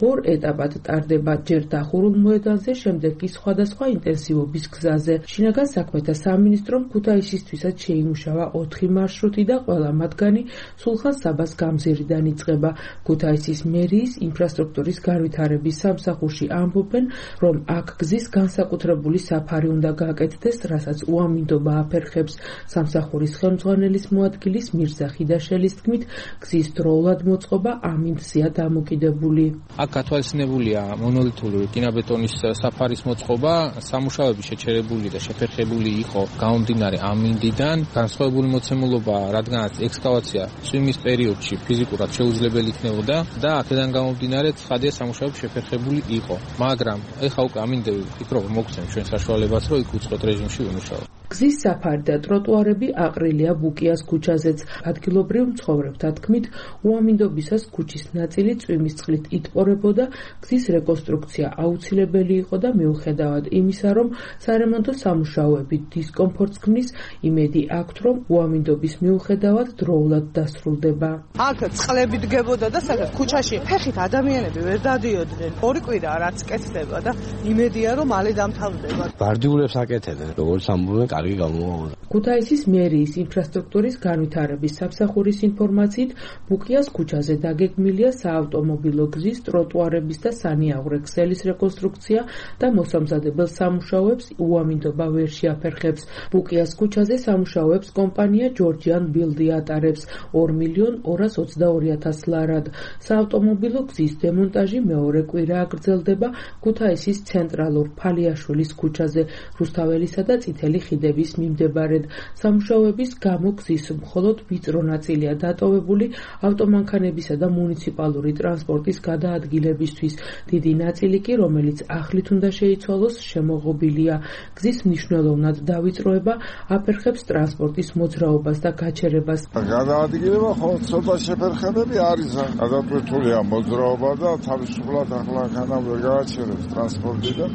S4: ორ ეტაპად ტარდება, ჯერ დახურულ მოედანზე, შემდეგ კი სხვადასხვა ინტენსივობის გზაზე. შინაგან საქმეთა სამინისტრომ ქუთაისისთვისაც შეიმუშავა 4 მარშრუტი და ყველა მათგანი სულხან-საბას გამზირიდან იწყება. ქუთაისის მერიის ინფრასტრუქტურის განვითარების სამსახურში ამბობენ, რომ აქ გზის განსაკუთრებული საფარი უნდა გააკეთდეს, რასაც უამინდობა აფერხებს. სამსახურის ხელმძღვანელის მოადგილის მირზა ხიდაშელის თქმით, გზის დროულად მოწყობა ამინდზეა დამოკიდებული.
S17: აქ გათვალისწინებულია მონოლითური რკინაბეტონის საფარის მოწყობა, სამუშაოები შეჩერებული და შეფერხებული იყო გამომდინარე ამინდიდან. განსხვავებული მოცემულობა, რადგანაც ექსკავაცია წვიმის პერიოდში ფიზიკურად შეუძლებელი იქნებოდა და აქედან გამომდინარე ცხადია სამუშაოები შეფერხებული იყო. მაგრამ ეხა უკვე ამინდები ფიქრობ მოგცემ ჩვენ საშუალებას, რომ იქ უწყოთ რეჟიმში ვიმუშაოთ.
S4: გზის საფარი და ტროტუარები აყრილია ბუკიას ქუჩაზეც. ადგილობრივ მცხოვრებთა თქმით, უამინდობისას ქუჩის ნაწილი წვიმის წყლით იტყორებოდა, გზის რეკონსტრუქცია აუცილებელი იყო და მიუხედავად იმისა, რომ სარემონტო სამუშაოები დისკომფორტს ქმნის, იმედი აქვთ, რომ უამინდობის მიუხედავად დროულად დასრულდება.
S18: აქ წყლები დგებოდა და სადაც ქუჩაში ფეხით ადამიანები ვერ დადიოდნენ. 2 კვირა რაც კეთდება და იმედია, რომ მალე დამთავრდება.
S19: ბარდიულებს აკეთებენ, როგორც ამბობენ, კარგი გამოუვოდა.
S4: ქუთაისის მერიის ინფრასტრუქტურის განვითარების სამსახურის ინფორმაციით, ბუკიას ქუჩაზე დაგეგმილია საავტომობილო გზის, ტროტუარების და სანიაღვრე ქსელის რეკონსტრუქცია და მოსამზადებელ სამუშაოებს უამინდობა ვერ შეაფერხებს. ბუკიას ქუჩაზე სამუშაოებს კომპანია ჯორჯიან ბილდი ატარებს 2.222.000 ლარად. საავტომობილო გზის დემონტაჟი მეორე კვირაა გრძელდება ქუთაისის ცენტრალურ ფალიაშვილის ქუჩაზე, რუსთაველისა და წითელი ხიდების მიმდებარედ. სამუშაოების გამო გზის მხოლოდ ვიწრო ნაწილია დატოვებული ავტომანქანებისა და მუნიციპალური ტრანსპორტის გადაადგილებისთვის. დიდი ნაწილი კი, რომელიც ახლით უნდა შეიცვალოს, შემოღობილია. გზის მნიშვნელოვნად დავიწროება აფერხებს ტრანსპორტის მოძრაობას და გაჩერებას.
S16: გადაადგილება ხოლმე ცოტა შეფერხებები არის, გადატვირთულია მოძრაობა და თავისუფლად ახლა ვერ გააჩერებს ტრანსპორტი და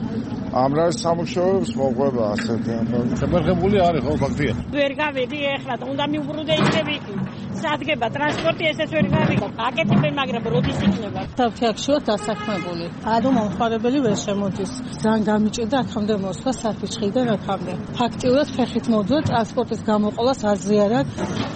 S16: ამ რა სამუშაოებს მოყვება ასეთი ამბავი.
S14: შეფერხებული არის ხო ფაქტია?
S20: ვერ გავიდი ეხლა და უნდა მიუბრუნდე იქნები. სადგება ტრანსპორტი ესეც ვერ გავიგო. აკეთებენ, მაგრამ როდის იქნება?
S9: თავშაქშოთ დასაქმებული. ანუ მომხმარებელი ვერ შემოდის. ძალიან გამიჭირდა აქამდე მოსვლა საფიჩხიდან აქამდე. ფაქტიურად ფეხით მოდვა ტრანსპორტის გამოყოლას აზრიანად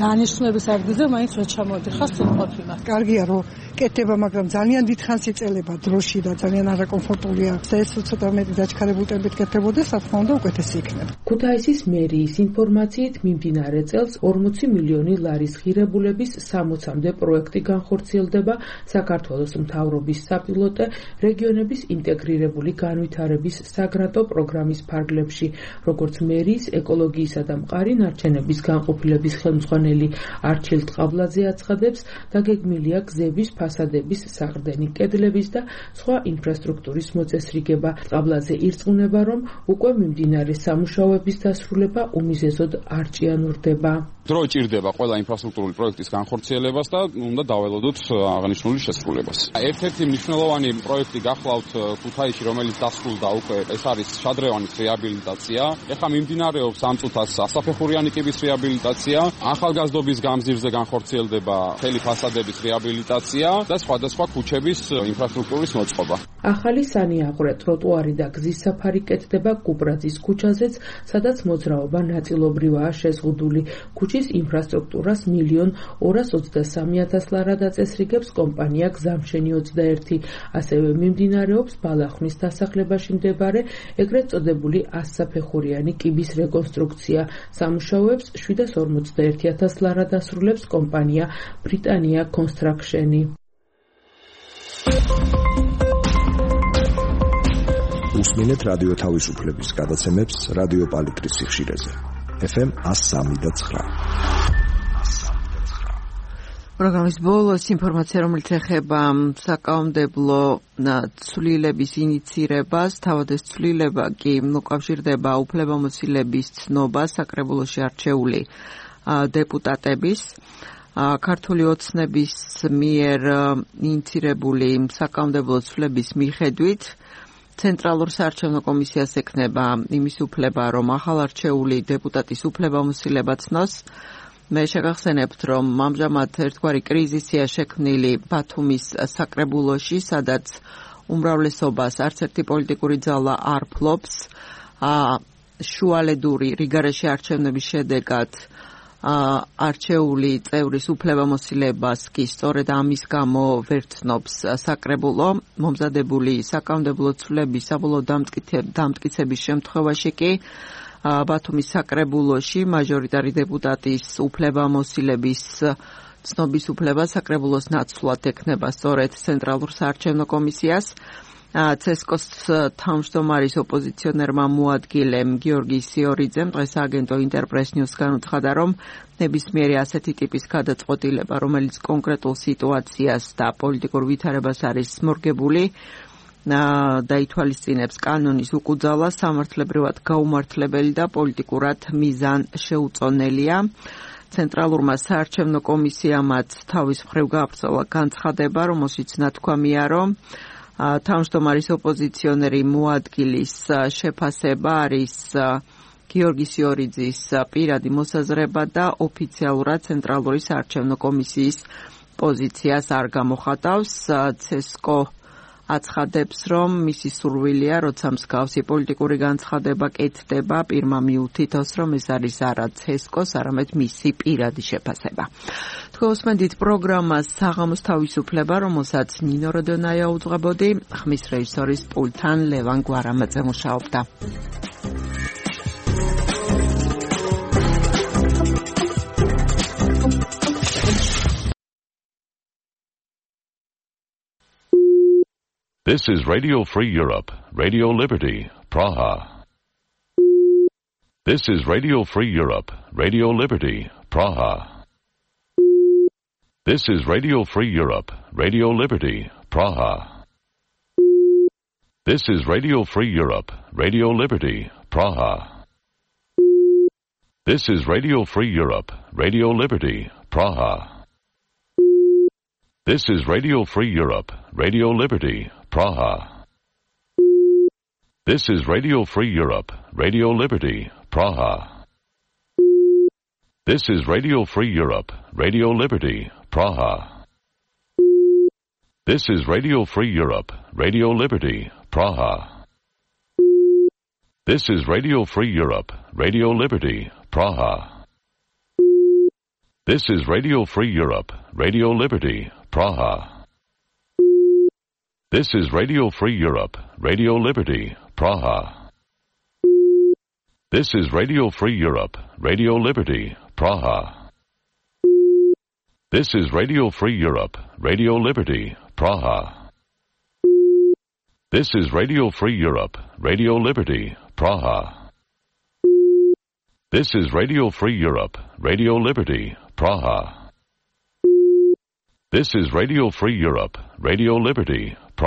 S9: დანიშნულების ადგილზე მაინც ვერ ჩამოდიხარ სულყოფილა.
S18: კარგია რომ კეთდება, მაგრამ ძალიან დიდხანს იწელება დროში და ძალიან არაკომფორტულია. ეს ცოტა მეტი დაჩქარებულ ტემპით კეთდებოდეს, რა თქმა უნდა, უკეთესი იქნება.
S4: ქუთაისის მერიის ინფორმაციით, მიმდინარე წელს 40 მილიონი ლარის ღირებულების 60-მდე პროექტი განხორციელდება საქართველოს მთავრობის საპილოტე რეგიონების ინტეგრირებული განვითარების საგრანტო პროგრამის ფარგლებში, როგორც მერიის ეკოლოგიისა და მყარი ნარჩენების განყოფილების ხელმძღვანელი არჩილ ტყაბლაძე აცხადებს, დაგეგმილია გზების, ფასადების, საყრდენი კედლების და სხვა ინფრასტრუქტურის მოწესრიგება. ტყაბლაძე ირწმუნება, რომ უკვე მიმდინარე სამუშაოების დასრულება უმიზეზოდ არ ჭიანურდება.
S21: დრო ჭირდება ყველა ინფრასტრუქტურული პროექტის განხორციელებას და უნდა დაველოდოთ აღნიშნული შესრულებას. ერთ-ერთი მნიშვნელოვანი პროექტი გახლავთ ქუთაისში, რომელიც დასრულდა უკვე, ეს არის შადრევანის რეაბილიტაცია. ეხლა მიმდინარეობს ამ წუთას ასაფეხურიანი კიბის რეაბილიტაცია, ახალგაზრდობის გამზირზე განხორციელდება მთელი ფასადების რეაბილიტაცია და სხვადასხვა ქუჩების ინფრასტრუქტურის მოწყობა.
S4: ახალი სანიაღვრე, ტროტუარი და გზის საფარი კეთდება კუპრაძის ქუჩაზეც, სადაც მოძრაობა ნაწილობრივაა შეზღუდული. ქუჩის ინფრასტრუქტურას 1.223.000 ლარად აწესრიგებს კომპანია გზამშენი 21. ასევე მიმდინარეობს ბალახნის დასახლებაში მდებარე ეგრეთ წოდებული 100-საფეხურიანი კიბის რეკონსტრუქცია. სამუშაოებს 741.000 ლარად ასრულებს კომპანია ბრიტანია კონსტრაქშენი.
S10: უსმინეთ რადიო თავისუფლების გადაცემებს რადიო პალიტრის სიხშირეზე. FM 103.9.
S1: პროგრამის ბოლოს ინფორმაცია, რომელიც ეხება საკანონმდებლო ცვლილების ინიცირებას, თავად ეს ცვლილება კი უკავშირდება უფლებამოსილების ცნობას საკრებულოში არჩეული დეპუტატების. ქართული ოცნების მიერ ინიცირებული საკანონმდებლო ცვლილების მიხედვით ცენტრალურ საარჩევნო კომისიას ექნება იმის უფლება, რომ ახალარჩეული დეპუტატის უფლებამოსილება ცნოს. მე შეგახსენებთ, რომ ამჟამად ერთგვარი კრიზისია შექმნილი ბათუმის საკრებულოში, სადაც უმრავლესობას არც ერთი პოლიტიკური ძალა არ ფლობს. შუალედური რიგარეში არჩევნების შედეგად არჩეული წევრის უფლებამოსილებას კი სწორედ ამის გამო ვერ ცნობს საკრებულო. მომზადებული საკანონმდებლო ცვლილების საბოლოო დამტკიცების შემთხვევაში კი ბათუმის საკრებულოში მაჟორიტარი დეპუტატის უფლებამოსილების ცნობის უფლება საკრებულოს ნაცვლად ექნება სწორედ ცენტრალურ საარჩევნო კომისიას. ცესკოს თავმჯდომარის ოპოზიციონერმა მოადგილემ გიორგი სიორიძემ დღეს აგენტო ინტერპრეს ნიუსგან უცხადა, რომ ნებისმიერი ასეთი ტიპის გადაწყვეტილება, რომელიც კონკრეტულ სიტუაციას და პოლიტიკურ ვითარებას არის მორგებული, და ითვალისწინებს კანონის უკუძალას სამართლებრივად გაუმართლებელი და პოლიტიკურად მიზანშეუწონელია. ცენტრალურმა საარჩევნო კომისიამაც თავის მხრივ გააბრძოლა განცხადება, რომელშიც ნათქვამია, რომ თავმჯდომარის ოპოზიციონერი მოადგილის შეფასება არის გიორგი სიორიძის პირადი მოსაზრება და ოფიციალურად ცენტრალური საარჩევნო კომისიის პოზიციას არ გამოხატავს. ცესკო აცხადებს, რომ მისი სურვილია, როცა მსგავსი პოლიტიკური განცხადება კეთდება, პირმა მიუთითოს, რომ ეს არის არა ცესკოს, არამედ მისი პირადი შეფასება. თქვენ უსმენთ პროგრამას საღამოს თავისუფლება, რომელსაც ნინო როდონაია უძღვებოდი, ხმის რეჟისორის პულტთან ლევან გვარამაძე მუშაობდა.
S5: This is Radio Free Europe, Radio Liberty, Praha. This is Radio Free Europe, Radio Liberty, Praha. This is Radio Free Europe, Radio Liberty, Praha. This is Radio Free Europe, Radio Liberty, Praha. This is Radio Free Europe, Radio Liberty, Praha. This is Radio Free Europe, Radio Liberty, Praha. This is Radio Free Europe, Radio Liberty, Praha. This is Radio Free Europe, Radio Liberty, Praha. This is Radio Free Europe, Radio Liberty, Praha. This is Radio Free Europe, Radio Liberty, Praha. This is Radio Free Europe, Radio Liberty, Praha. This is Radio Free Europe, Radio Liberty, Praha. This is Radio Free Europe, Radio Liberty, Praha. This is Radio Free Europe, Radio Liberty, Praha. This is Radio Free Europe, Radio Liberty, Praha. This is Radio Free Europe, Radio Liberty, Praha. This is Radio Free Europe, Radio Liberty, Praha.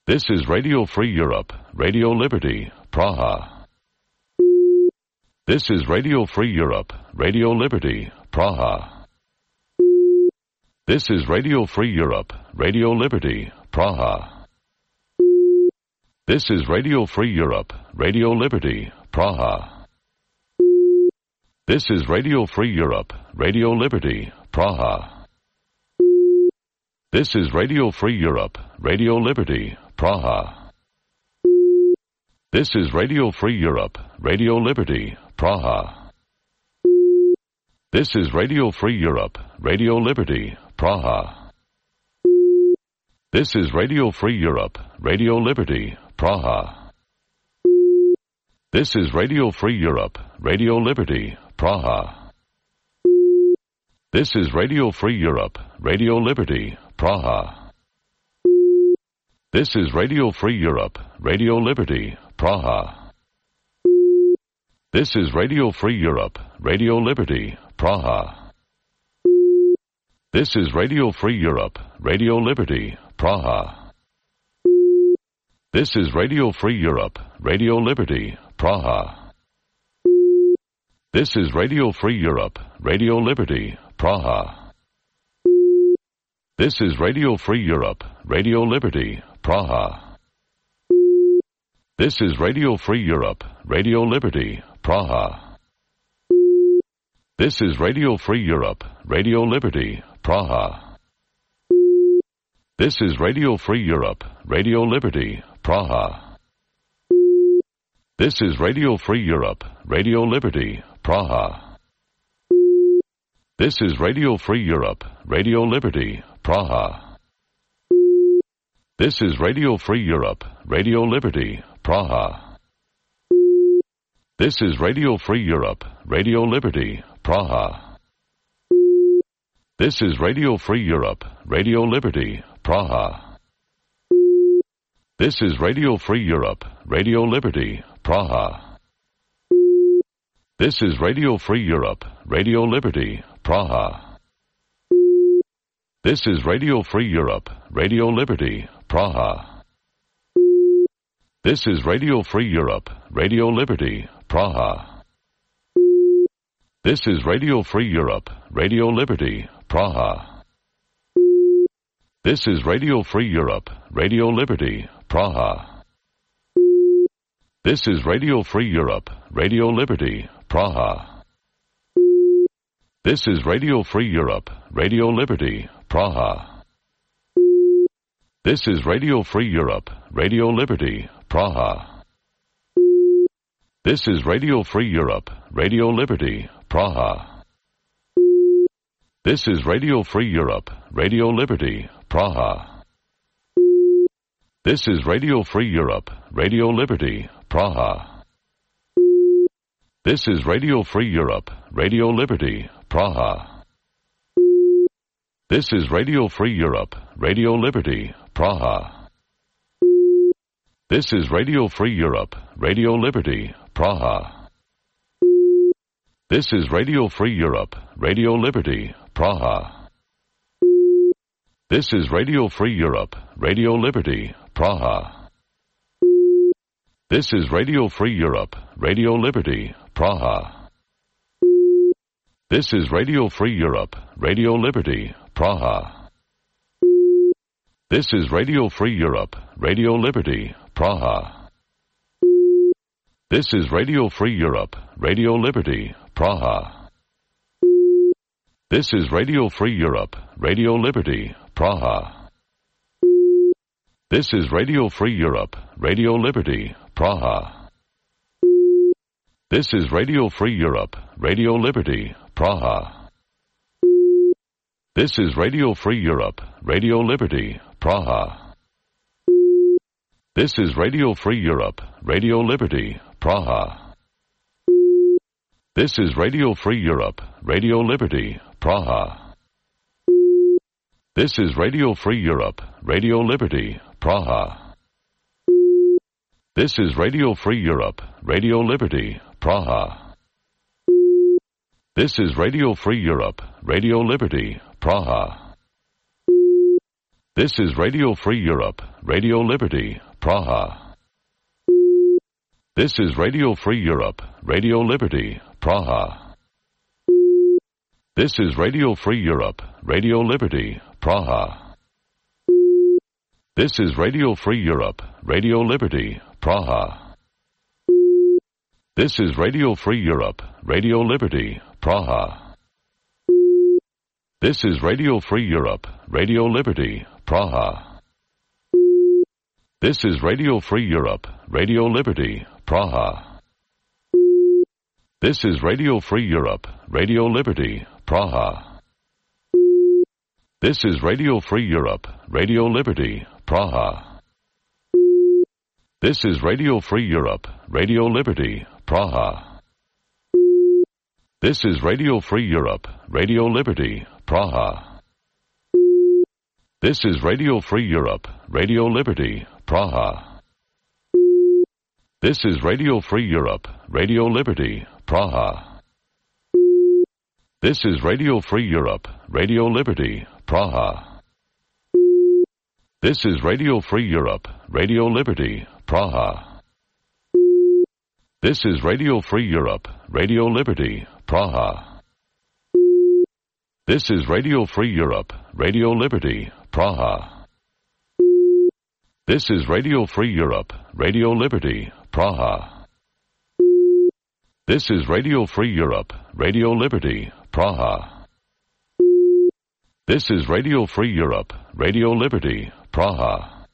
S5: This is Radio Free Europe, Radio Liberty, Praha. This is Radio Free Europe, Radio Liberty, Praha. This is Radio Free Europe, Radio Liberty, Praha. This is Radio Free Europe, Radio Liberty, Praha. This is Radio Free Europe, Radio Liberty, Praha. This is Radio Free Europe, Radio Liberty, Praha. This is Radio Free Europe, Radio Liberty, Praha. This is Radio Free Europe, Radio Liberty, Praha. This is Radio Free Europe, Radio Liberty, Praha. This is Radio Free Europe, Radio Liberty, Praha. This is Radio Free Europe, Radio Liberty, Praha. This is Radio Free Europe, Radio Liberty, Praha. This is Radio Free Europe, Radio Liberty, Praha. This is Radio Free Europe, Radio Liberty, Praha. This is Radio Free Europe, Radio Liberty, Praha. This is Radio Free Europe, Radio Liberty, Praha. This is Radio Free Europe, Radio Liberty, Praha. This is Radio Free Europe, Radio Liberty, Praha. This is Radio Free Europe, Radio Liberty, Praha. This is Radio Free Europe, Radio Liberty, Praha. This is Radio Free Europe, Radio Liberty, Praha. This is Radio Free Europe, Radio Liberty, Praha. This is Radio Free Europe, Radio Liberty, Praha. This is Radio Free Europe, Radio Liberty, Praha. This is Radio Free Europe, Radio Liberty, Praha. This is Radio Free Europe, Radio Liberty, Praha. This is Radio Free Europe, Radio Liberty, Praha. This is Radio Free Europe, Radio Liberty, Praha. This is Radio Free Europe, Radio Liberty, Praha. This is Radio Free Europe, Radio Liberty, Praha. This is Radio Free Europe, Radio Liberty, Praha. This is Radio Free Europe, Radio Liberty, Praha. This is Radio Free Europe, Radio Liberty, Praha. This is Radio Free Europe, Radio Liberty, Praha. This is Radio Free Europe, Radio Liberty, Praha. This is Radio Free Europe, Radio Liberty, Praha. This is Radio Free Europe, Radio Liberty, Praha. This is Radio Free Europe, Radio Liberty, Praha. This is Radio Free Europe, Radio Liberty, Praha. This is Radio Free Europe, Radio Liberty, Praha. This is Radio Free Europe, Radio Liberty, Praha. This is Radio Free Europe, Radio Liberty, Praha. This is Radio Free Europe, Radio Liberty, Praha. This is Radio Free Europe, Radio Liberty, Praha. This is Radio Free Europe, Radio Liberty, Praha. This is Radio Free Europe, Radio Liberty, Praha. This is Radio Free Europe, Radio Liberty, Praha. This is Radio Free Europe, Radio Liberty, Praha. This is Radio Free Europe, Radio Liberty, Praha. This is Radio Free Europe, Radio Liberty, Praha. This is Radio Free Europe, Radio Liberty, Praha. This is Radio Free Europe, Radio Liberty, Praha. This is Radio Free Europe, Radio Liberty, Praha. This is Radio Free Europe, Radio Liberty, Praha. This is Radio Free Europe, Radio Liberty, Praha. This is Radio Free Europe, Radio Liberty, Praha. This is Radio Free Europe, Radio Liberty, Praha. This is Radio Free Europe, Radio Liberty, Praha. This is Radio Free Europe, Radio Liberty, Praha. This is Radio Free Europe, Radio Liberty, Praha. This is Radio Free Europe, Radio Liberty, Praha. This is Radio Free Europe, Radio Liberty, Praha. This is Radio Free Europe, Radio Liberty, Praha. This is Radio Free Europe, Radio Liberty, Praha. This is Radio Free Europe, Radio Liberty, Praha. This is Radio Free Europe, Radio Liberty, Praha. This is Radio Free Europe, Radio Liberty, Praha. This is Radio Free Europe, Radio Liberty, Praha. This is Radio Free Europe, Radio Liberty, Praha. This is Radio Free Europe, Radio Liberty, Praha. This is Radio Free Europe, Radio Liberty, Praha. This is Radio Free Europe, Radio Liberty, Praha. This is Radio Free Europe, Radio Liberty, Praha. This is Radio Free Europe, Radio Liberty, Praha. This is Radio Free Europe, Radio Liberty, Praha.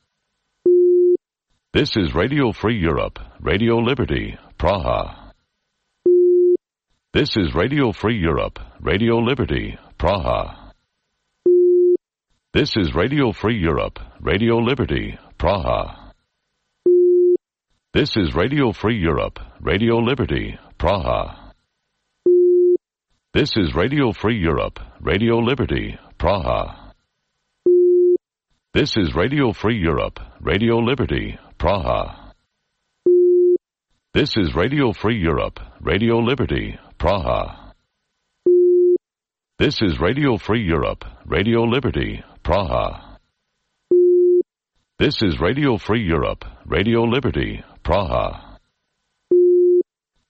S5: This is Radio Free Europe, Radio Liberty, Praha. This is Radio Free Europe, Radio Liberty, Praha. This is Radio Free Europe, Radio Liberty, Praha. This is Radio Free Europe, Radio Liberty, Praha. This is Radio Free Europe, Radio Liberty, Praha. This is Radio Free Europe, Radio Liberty, Praha. This is Radio Free Europe, Radio Liberty, Praha. This is Radio Free Europe, Radio Liberty, Praha. This is Radio Free Europe, Radio Liberty, Praha.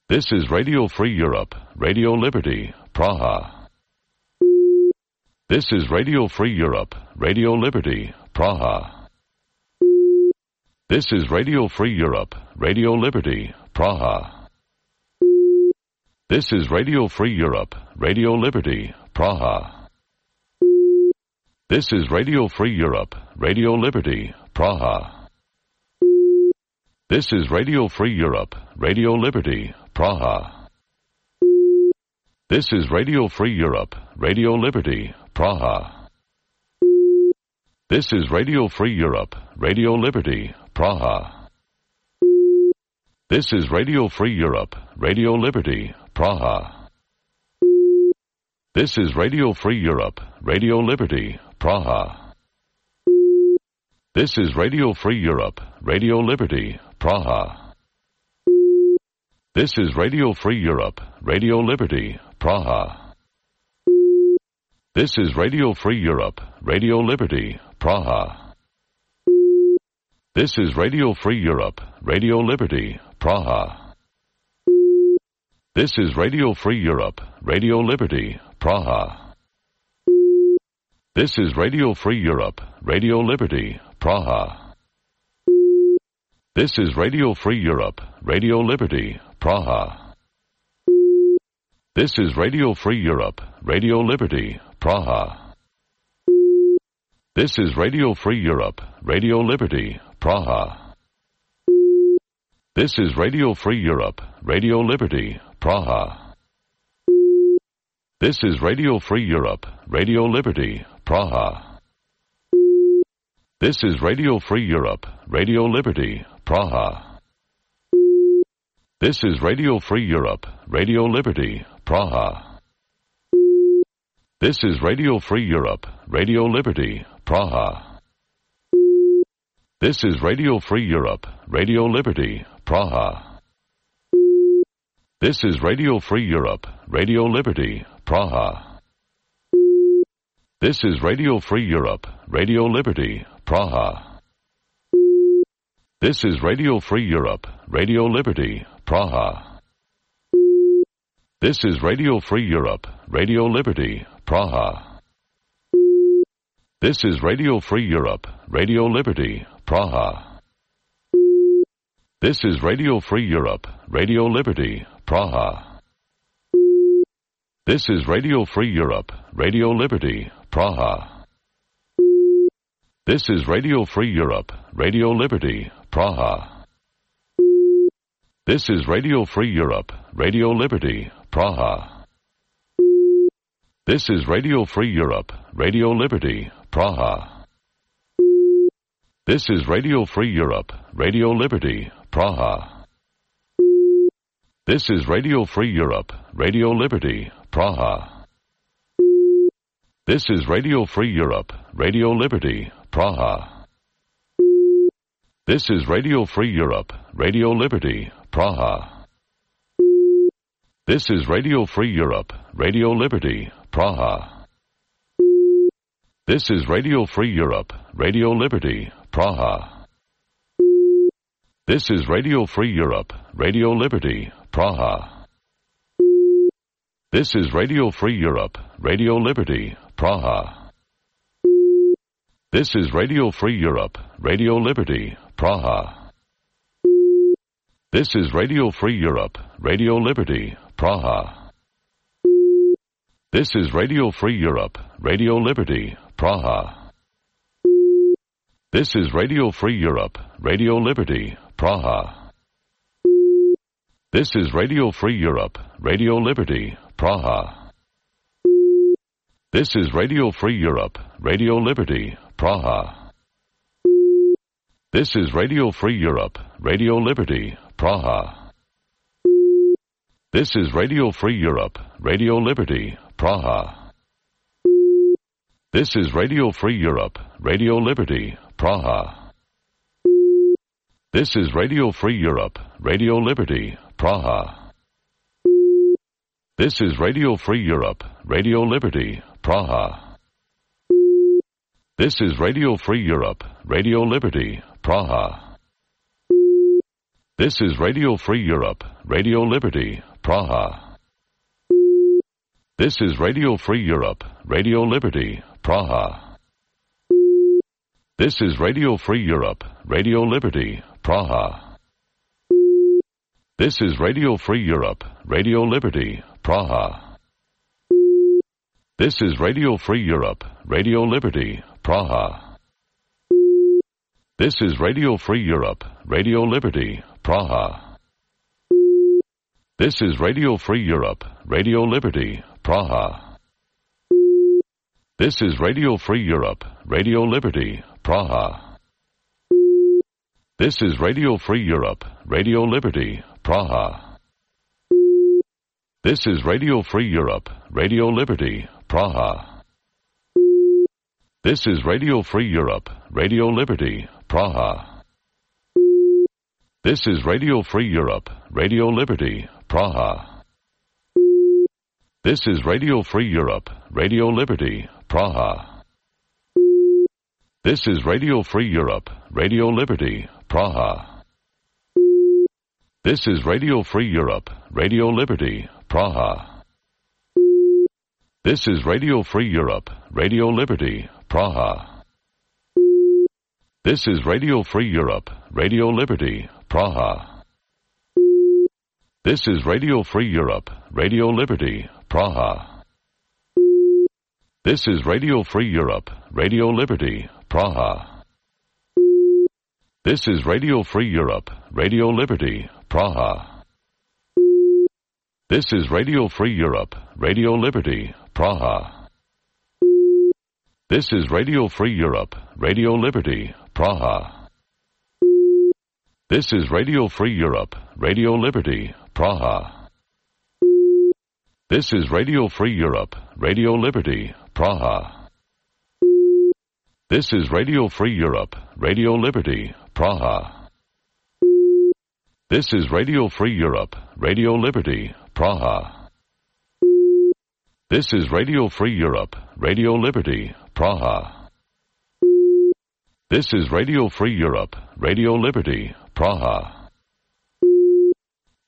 S5: This is Radio Free Europe, Radio Liberty, Praha. This is Radio Free Europe, Radio Liberty, Praha. This is Radio Free Europe, Radio Liberty, Praha. This is Radio Free Europe, Radio Liberty, Praha. This is Radio Free Europe, Radio Liberty, Praha. This is Radio Free Europe, Radio Liberty, Praha. This is Radio Free Europe, Radio Liberty, Praha. This is Radio Free Europe, Radio Liberty, Praha. This is Radio Free Europe, Radio Liberty, Praha. This is Radio Free Europe, Radio Liberty, Praha. This is Radio Free Europe, Radio Liberty, Praha. This is Radio Free Europe, Radio Liberty, Praha. This is Radio Free Europe, Radio Liberty, Praha. This is Radio Free Europe, Radio Liberty, Praha. This is Radio Free Europe, Radio Liberty, Praha. This is Radio Free Europe, Radio Liberty, Praha. This is Radio Free Europe, Radio Liberty, Praha. This is Radio Free Europe, Radio Liberty, Praha. This is Radio Free Europe, Radio Liberty, Praha. This is Radio Free Europe, Radio Liberty, Praha. This is Radio Free Europe, Radio Liberty, Praha. This is Radio Free Europe, Radio Liberty, Praha. This is Radio Free Europe, Radio Liberty, Praha. This is Radio Free Europe, Radio Liberty, Praha. This is Radio Free Europe, Radio Liberty, Praha. This is Radio Free Europe, Radio Liberty, Praha. This is Radio Free Europe, Radio Liberty, Praha. This is Radio Free Europe, Radio Liberty, Praha. This is Radio Free Europe, Radio Liberty, Praha. This is Radio Free Europe, Radio Liberty, Praha. This is Radio Free Europe, Radio Liberty, Praha. This is Radio Free Europe, Radio Liberty, Praha. This is Radio Free Europe, Radio Liberty, Praha. This is Radio Free Europe, Radio Liberty, Praha. This is Radio Free Europe, Radio Liberty, Praha. This is Radio Free Europe, Radio Liberty, Praha. This is Radio Free Europe, Radio Liberty, Praha. This is Radio Free Europe, Radio Liberty, Praha. This is Radio Free Europe, Radio Liberty, Praha. This is Radio Free Europe, Radio Liberty, Praha. This is Radio Free Europe, Radio Liberty, Praha. This is Radio Free Europe, Radio Liberty, Praha. This is Radio Free Europe, Radio Liberty, Praha. This is Radio Free Europe, Radio Liberty, Praha. This is Radio Free Europe, Radio Liberty, Praha. This is Radio Free Europe, Radio Liberty, Praha. This is Radio Free Europe, Radio Liberty, Praha. This is Radio Free Europe, Radio Liberty, Praha. This is Radio Free Europe, Radio Liberty, Praha. This is Radio Free Europe, Radio Liberty, Praha. This is Radio Free Europe, Radio Liberty, Praha. This is Radio Free Europe, Radio Liberty, Praha. This is Radio Free Europe, Radio Liberty, Praha. This is Radio Free Europe, Radio Liberty, Praha. This is Radio Free Europe, Radio Liberty, Praha. This is Radio Free Europe, Radio Liberty, Praha. This is Radio Free Europe, Radio Liberty, Praha. This is Radio Free Europe, Radio Liberty, Praha. This is Radio Free Europe, Radio Liberty, Praha. This is Radio Free Europe, Radio Liberty, Praha. This is Radio Free Europe, Radio Liberty, Praha. This is Radio Free Europe, Radio Liberty, Praha. This is Radio Free Europe, Radio Liberty, Praha. This is Radio Free Europe, Radio Liberty, Praha. This is Radio Free Europe, Radio Liberty, Praha. This is Radio Free Europe, Radio Liberty, Praha. This is Radio Free Europe, Radio Liberty, Praha. This is Radio Free Europe, Radio Liberty, Praha. This is Radio Free Europe, Radio Liberty, Praha. This is Radio Free Europe, Radio Liberty, Praha. This is Radio Free Europe, Radio Liberty, Praha. This is Radio Free Europe, Radio Liberty, Praha. This is Radio Free Europe, Radio Liberty, Praha. This is Radio Free Europe, Radio Liberty, Praha. This is Radio Free Europe, Radio Liberty, Praha. This is Radio Free Europe, Radio Liberty, Praha. This is Radio Free Europe, Radio Liberty, Praha. This is Radio Free Europe, Radio Liberty, Praha. This is Radio Free Europe, Radio Liberty, Praha. This is Radio Free Europe, Radio Liberty, Praha. This is Radio Free Europe, Radio Liberty, Praha. This is Radio Free Europe, Radio Liberty, Praha. This is Radio Free Europe, Radio Liberty, Praha.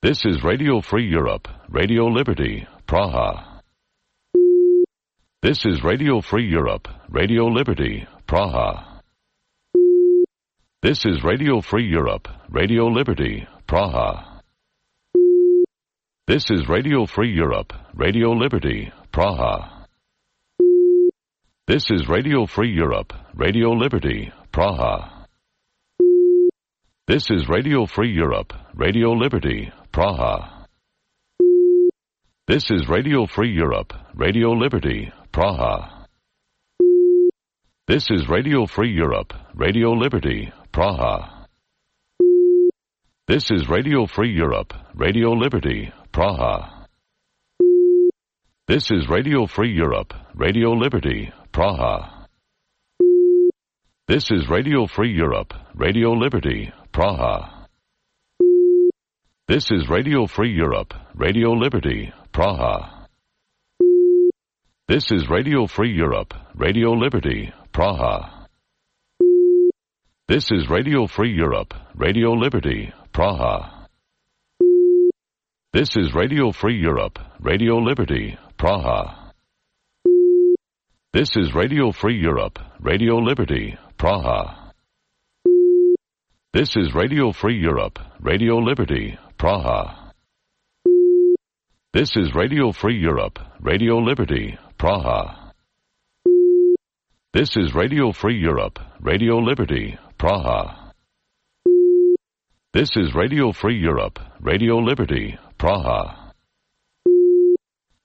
S5: This is Radio Free Europe, Radio Liberty, Praha. This is Radio Free Europe, Radio Liberty, Praha. This is Radio Free Europe, Radio Liberty, Praha. This is Radio Free Europe, Radio Liberty, Praha. This is Radio Free Europe, Radio Liberty, Praha. This is Radio Free Europe, Radio Liberty, Praha. This is Radio Free Europe, Radio Liberty, Praha. This is Radio Free Europe, Radio Liberty, Praha. This is Radio Free Europe, Radio Liberty, Praha. This is Radio Free Europe, Radio Liberty, Praha. This is Radio Free Europe, Radio Liberty, Praha. This is Radio Free Europe, Radio Liberty, Praha. This is Radio Free Europe, Radio Liberty, Praha. This is Radio Free Europe, Radio Liberty, Praha. This is Radio Free Europe, Radio Liberty, Praha. This is Radio Free Europe, Radio Liberty, Praha. This is Radio Free Europe, Radio Liberty, Praha. This is Radio Free Europe, Radio Liberty, Praha. This is Radio Free Europe, Radio Liberty, Praha. This is Radio Free Europe, Radio Liberty, Praha.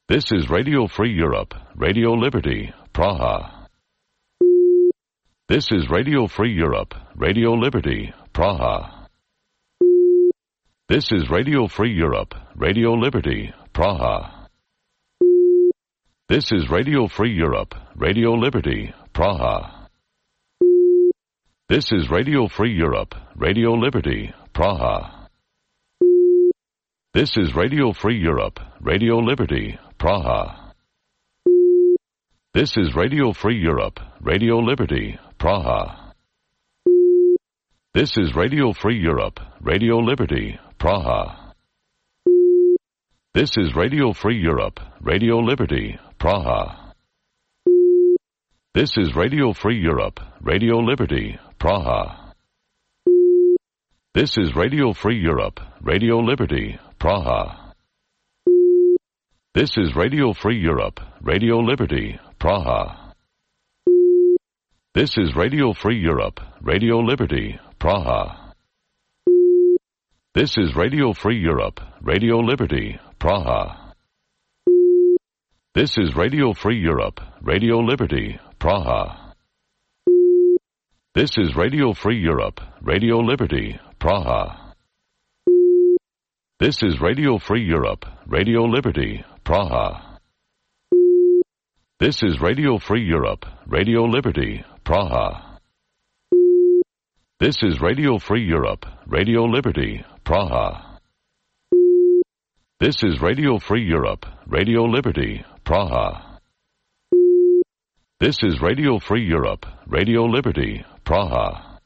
S5: This is Radio Free Europe, Radio Liberty, Praha. This is Radio Free Europe, Radio Liberty, Praha. This is Radio Free Europe, Radio Liberty, Praha. This is Radio Free Europe, Radio Liberty, Praha. This is Radio Free Europe, Radio Liberty, Praha. This is Radio Free Europe, Radio Liberty, Praha. This is Radio Free Europe, Radio Liberty, Praha. This is Radio Free Europe, Radio Liberty, Praha. This is Radio Free Europe, Radio Liberty, Praha. This is Radio Free Europe, Radio Liberty, Praha. This is Radio Free Europe, Radio Liberty, Praha. This is Radio Free Europe, Radio Liberty, Praha. This is Radio Free Europe, Radio Liberty, Praha. This is Radio Free Europe, Radio Liberty, Praha. This is Radio Free Europe, Radio Liberty, Praha. This is Radio Free Europe, Radio Liberty, Praha. This is Radio Free Europe, Radio Liberty, Praha. This is Radio Free Europe, Radio Liberty, Praha. This is Radio Free Europe, Radio Liberty, Praha. This is Radio Free Europe, Radio Liberty, Praha. This is Radio Free Europe, Radio Liberty, Praha.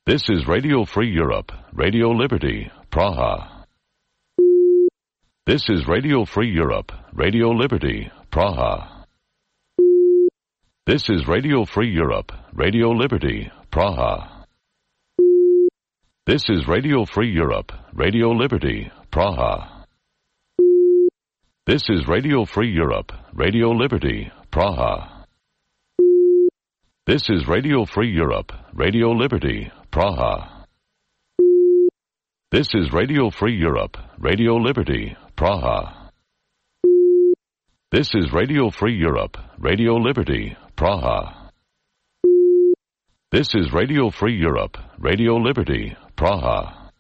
S5: This is Radio Free Europe, Radio Liberty, Praha. This is Radio Free Europe, Radio Liberty, Praha. This is Radio Free Europe, Radio Liberty, Praha. This is Radio Free Europe, Radio Liberty, Praha. This is Radio Free Europe, Radio Liberty, Praha. This is Radio Free Europe, Radio Liberty, Praha. This is Radio Free Europe, Radio Liberty, Praha. This is Radio Free Europe, Radio Liberty, Praha. This is Radio Free Europe, Radio Liberty, Praha.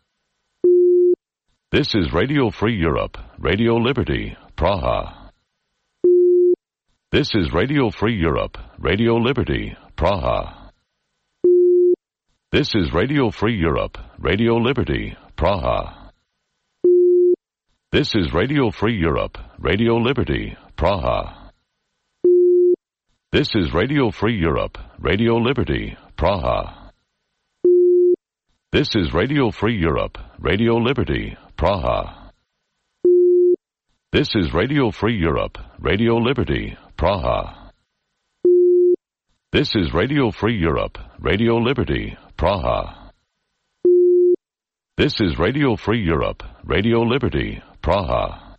S5: This is Radio Free Europe, Radio Liberty, Praha. This is Radio Free Europe, Radio Liberty, Praha. This is Radio Free Europe, Radio Liberty, Praha. This is Radio Free Europe, Radio Liberty, Praha. This is Radio Free Europe, Radio Liberty, Praha. This is Radio Free Europe, Radio Liberty, Praha. This is Radio Free Europe, Radio Liberty, Praha. This is Radio Free Europe, Radio Liberty, Praha. This is Radio Free Europe, Radio Liberty, Praha.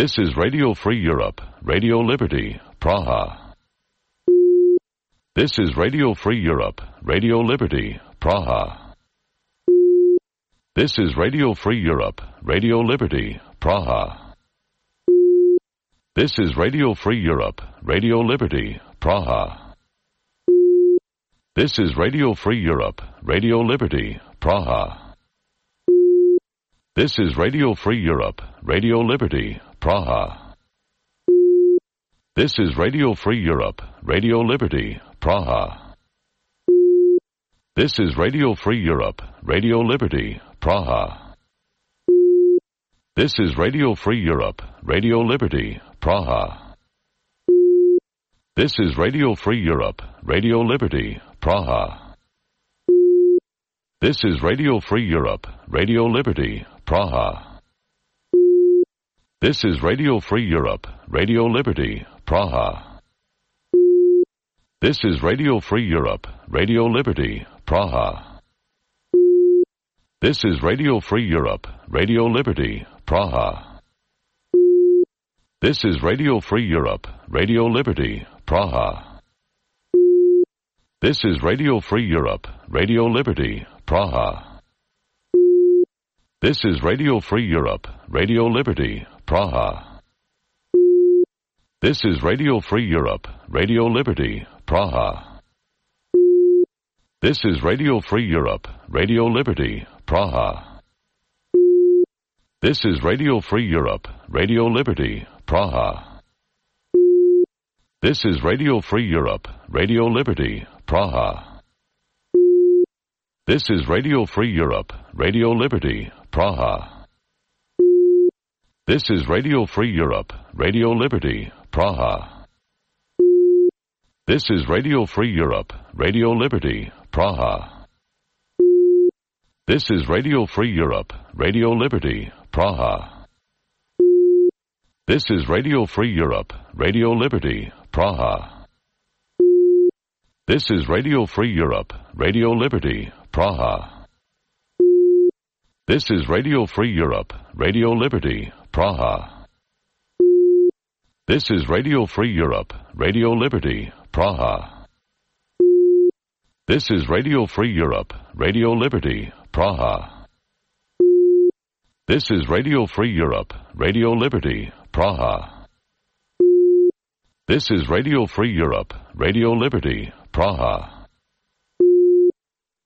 S5: This is Radio Free Europe, Radio Liberty, Praha. This is Radio Free Europe, Radio Liberty, Praha. This is Radio Free Europe, Radio Liberty, Praha. This is Radio Free Europe, Radio Liberty, Praha. This is Radio Free Europe, Radio Liberty, Praha. This is Radio Free Europe, Radio Liberty, Praha. This is Radio Free Europe, Radio Liberty, Praha. This is Radio Free Europe, Radio Liberty, Praha. This is Radio Free Europe, Radio Liberty, Praha. This is Radio Free Europe, Radio Liberty, Praha. This is Radio Free Europe, Radio Liberty, Praha. This is Radio Free Europe, Radio Liberty, Praha. This is Radio Free Europe, Radio Liberty, Praha. This is Radio Free Europe, Radio Liberty, Praha. This is Radio Free Europe, Radio Liberty, Praha. This is Radio Free Europe, Radio Liberty, Praha. This is Radio Free Europe, Radio Liberty, Praha. This is Radio Free Europe, Radio Liberty, Praha. This is Radio Free Europe, Radio Liberty, Praha. This is Radio Free Europe, Radio Liberty, Praha. This is Radio Free Europe, Radio Liberty, Praha. This is Radio Free Europe, Radio Liberty, Praha. This is Radio Free Europe, Radio Liberty, Praha. This is Radio Free Europe, Radio Liberty, Praha. This is Radio Free Europe, Radio Liberty, Praha. This is Radio Free Europe, Radio Liberty, Praha. This is Radio Free Europe, Radio Liberty, Praha. This is Radio Free Europe, Radio Liberty, Praha. This is Radio Free Europe, Radio Liberty, Praha. This is Radio Free Europe, Radio Liberty, Praha. This is Radio Free Europe, Radio Liberty, Praha. This is Radio Free Europe, Radio Liberty, Praha.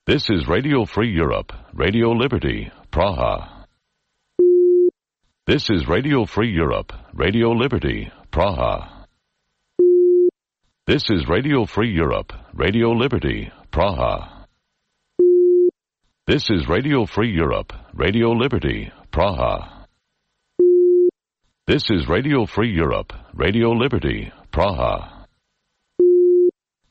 S5: This is Radio Free Europe, Radio Liberty, Praha. This is Radio Free Europe, Radio Liberty, Praha. This is Radio Free Europe, Radio Liberty, Praha. This is Radio Free Europe, Radio Liberty, Praha. This is Radio Free Europe, Radio Liberty, Praha.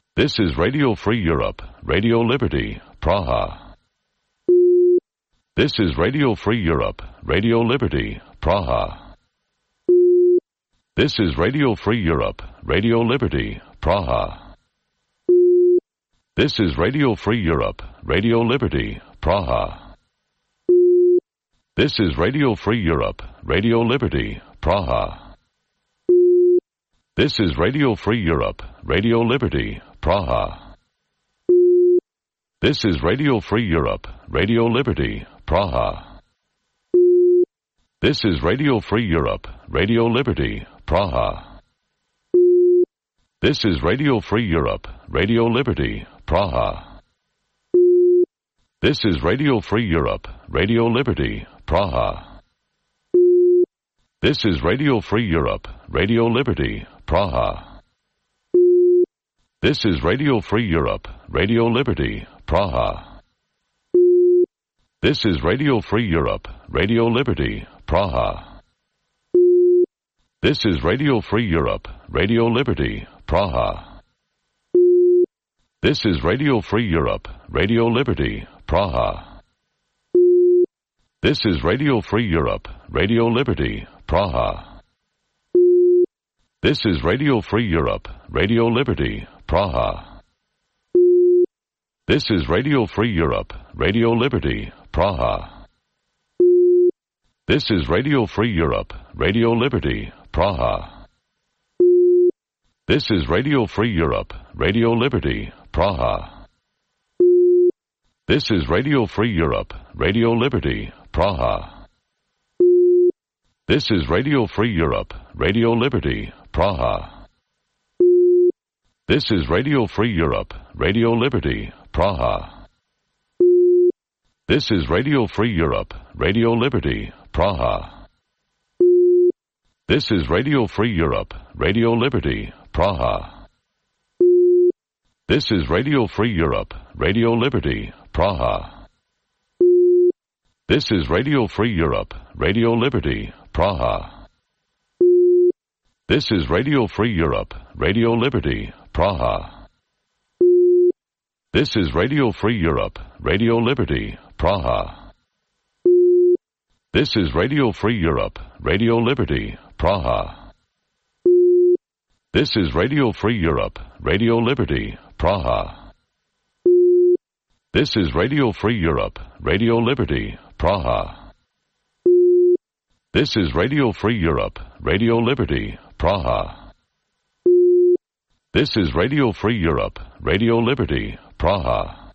S5: This is Radio Free Europe, Radio Liberty, Praha. This is Radio Free Europe, Radio Liberty, Praha. This is Radio Free Europe, Radio Liberty, Praha. This is Radio Free Europe, Radio Liberty, Praha. This is Radio Free Europe, Radio Liberty, Praha. This is Radio Free Europe, Radio Liberty, Praha. This is Radio Free Europe, Radio Liberty, Praha. This is Radio Free Europe, Radio Liberty, Praha. This is Radio Free Europe, Radio Liberty, Praha. This is Radio Free Europe, Radio Liberty, Praha. This is Radio Free Europe, Radio Liberty, Praha. This is Radio Free Europe, Radio Liberty, Praha. This is Radio Free Europe, Radio Liberty, Praha. This is Radio Free Europe, Radio Liberty, Praha. This is Radio Free Europe, Radio Liberty, Praha. This is Radio Free Europe, Radio Liberty, Praha. This is Radio Free Europe, Radio Liberty, Praha. This is Radio Free Europe, Radio Liberty, Praha. This is Radio Free Europe, Radio Liberty, Praha. This is Radio Free Europe, Radio Liberty, Praha. This is Radio Free Europe, Radio Liberty, Praha. This is Radio Free Europe, Radio Liberty, Praha. This is Radio Free Europe, Radio Liberty, Praha. This is Radio Free Europe, Radio Liberty, Praha. This is Radio Free Europe, Radio Liberty, Praha. This is Radio Free Europe, Radio Liberty, Praha. This is Radio Free Europe, Radio Liberty, Praha. This is Radio Free Europe, Radio Liberty, Praha. This is Radio Free Europe, Radio Liberty, Praha. This is Radio Free Europe, Radio Liberty, Praha. This is Radio Free Europe, Radio Liberty, Praha. This is Radio Free Europe, Radio Liberty, Praha. This is Radio Free Europe, Radio Liberty, Praha. This is Radio Free Europe, Radio Liberty, Praha.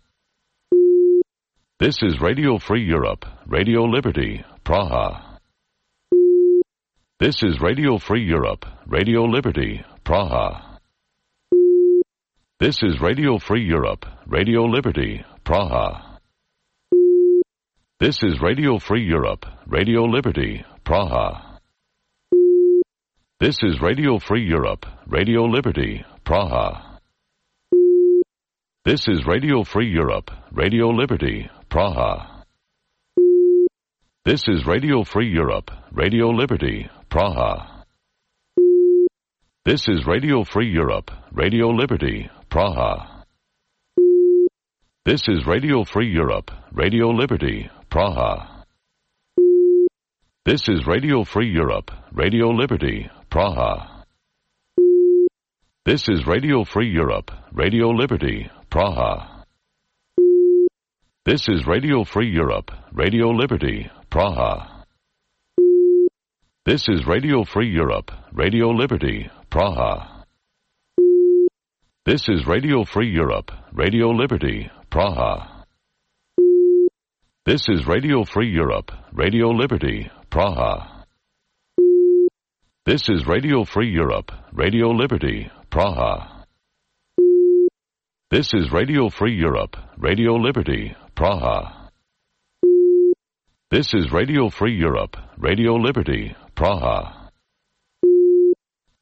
S5: This is Radio Free Europe, Radio Liberty, Praha. This is Radio Free Europe, Radio Liberty, Praha. This is Radio Free Europe, Radio Liberty, Praha. This is Radio Free Europe, Radio Liberty, Praha. This is Radio Free Europe, Radio Liberty, Praha. This is Radio Free Europe, Radio Liberty, Praha. This is Radio Free Europe, Radio Liberty, Praha. This is Radio Free Europe, Radio Liberty, Praha. This is Radio Free Europe, Radio Liberty, Praha. This is Radio Free Europe, Radio Liberty, Praha. This is Radio Free Europe, Radio Liberty, Praha. This is Radio Free Europe, Radio Liberty, Praha. This is Radio Free Europe, Radio Liberty, Praha. This is Radio Free Europe, Radio Liberty, Praha. This is Radio Free Europe, Radio Liberty, Praha. This is Radio Free Europe, Radio Liberty, Praha. This is Radio Free Europe, Radio Liberty, Praha. This is Radio Free Europe, Radio Liberty, Praha.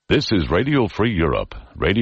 S5: This is Radio Free Europe, Radio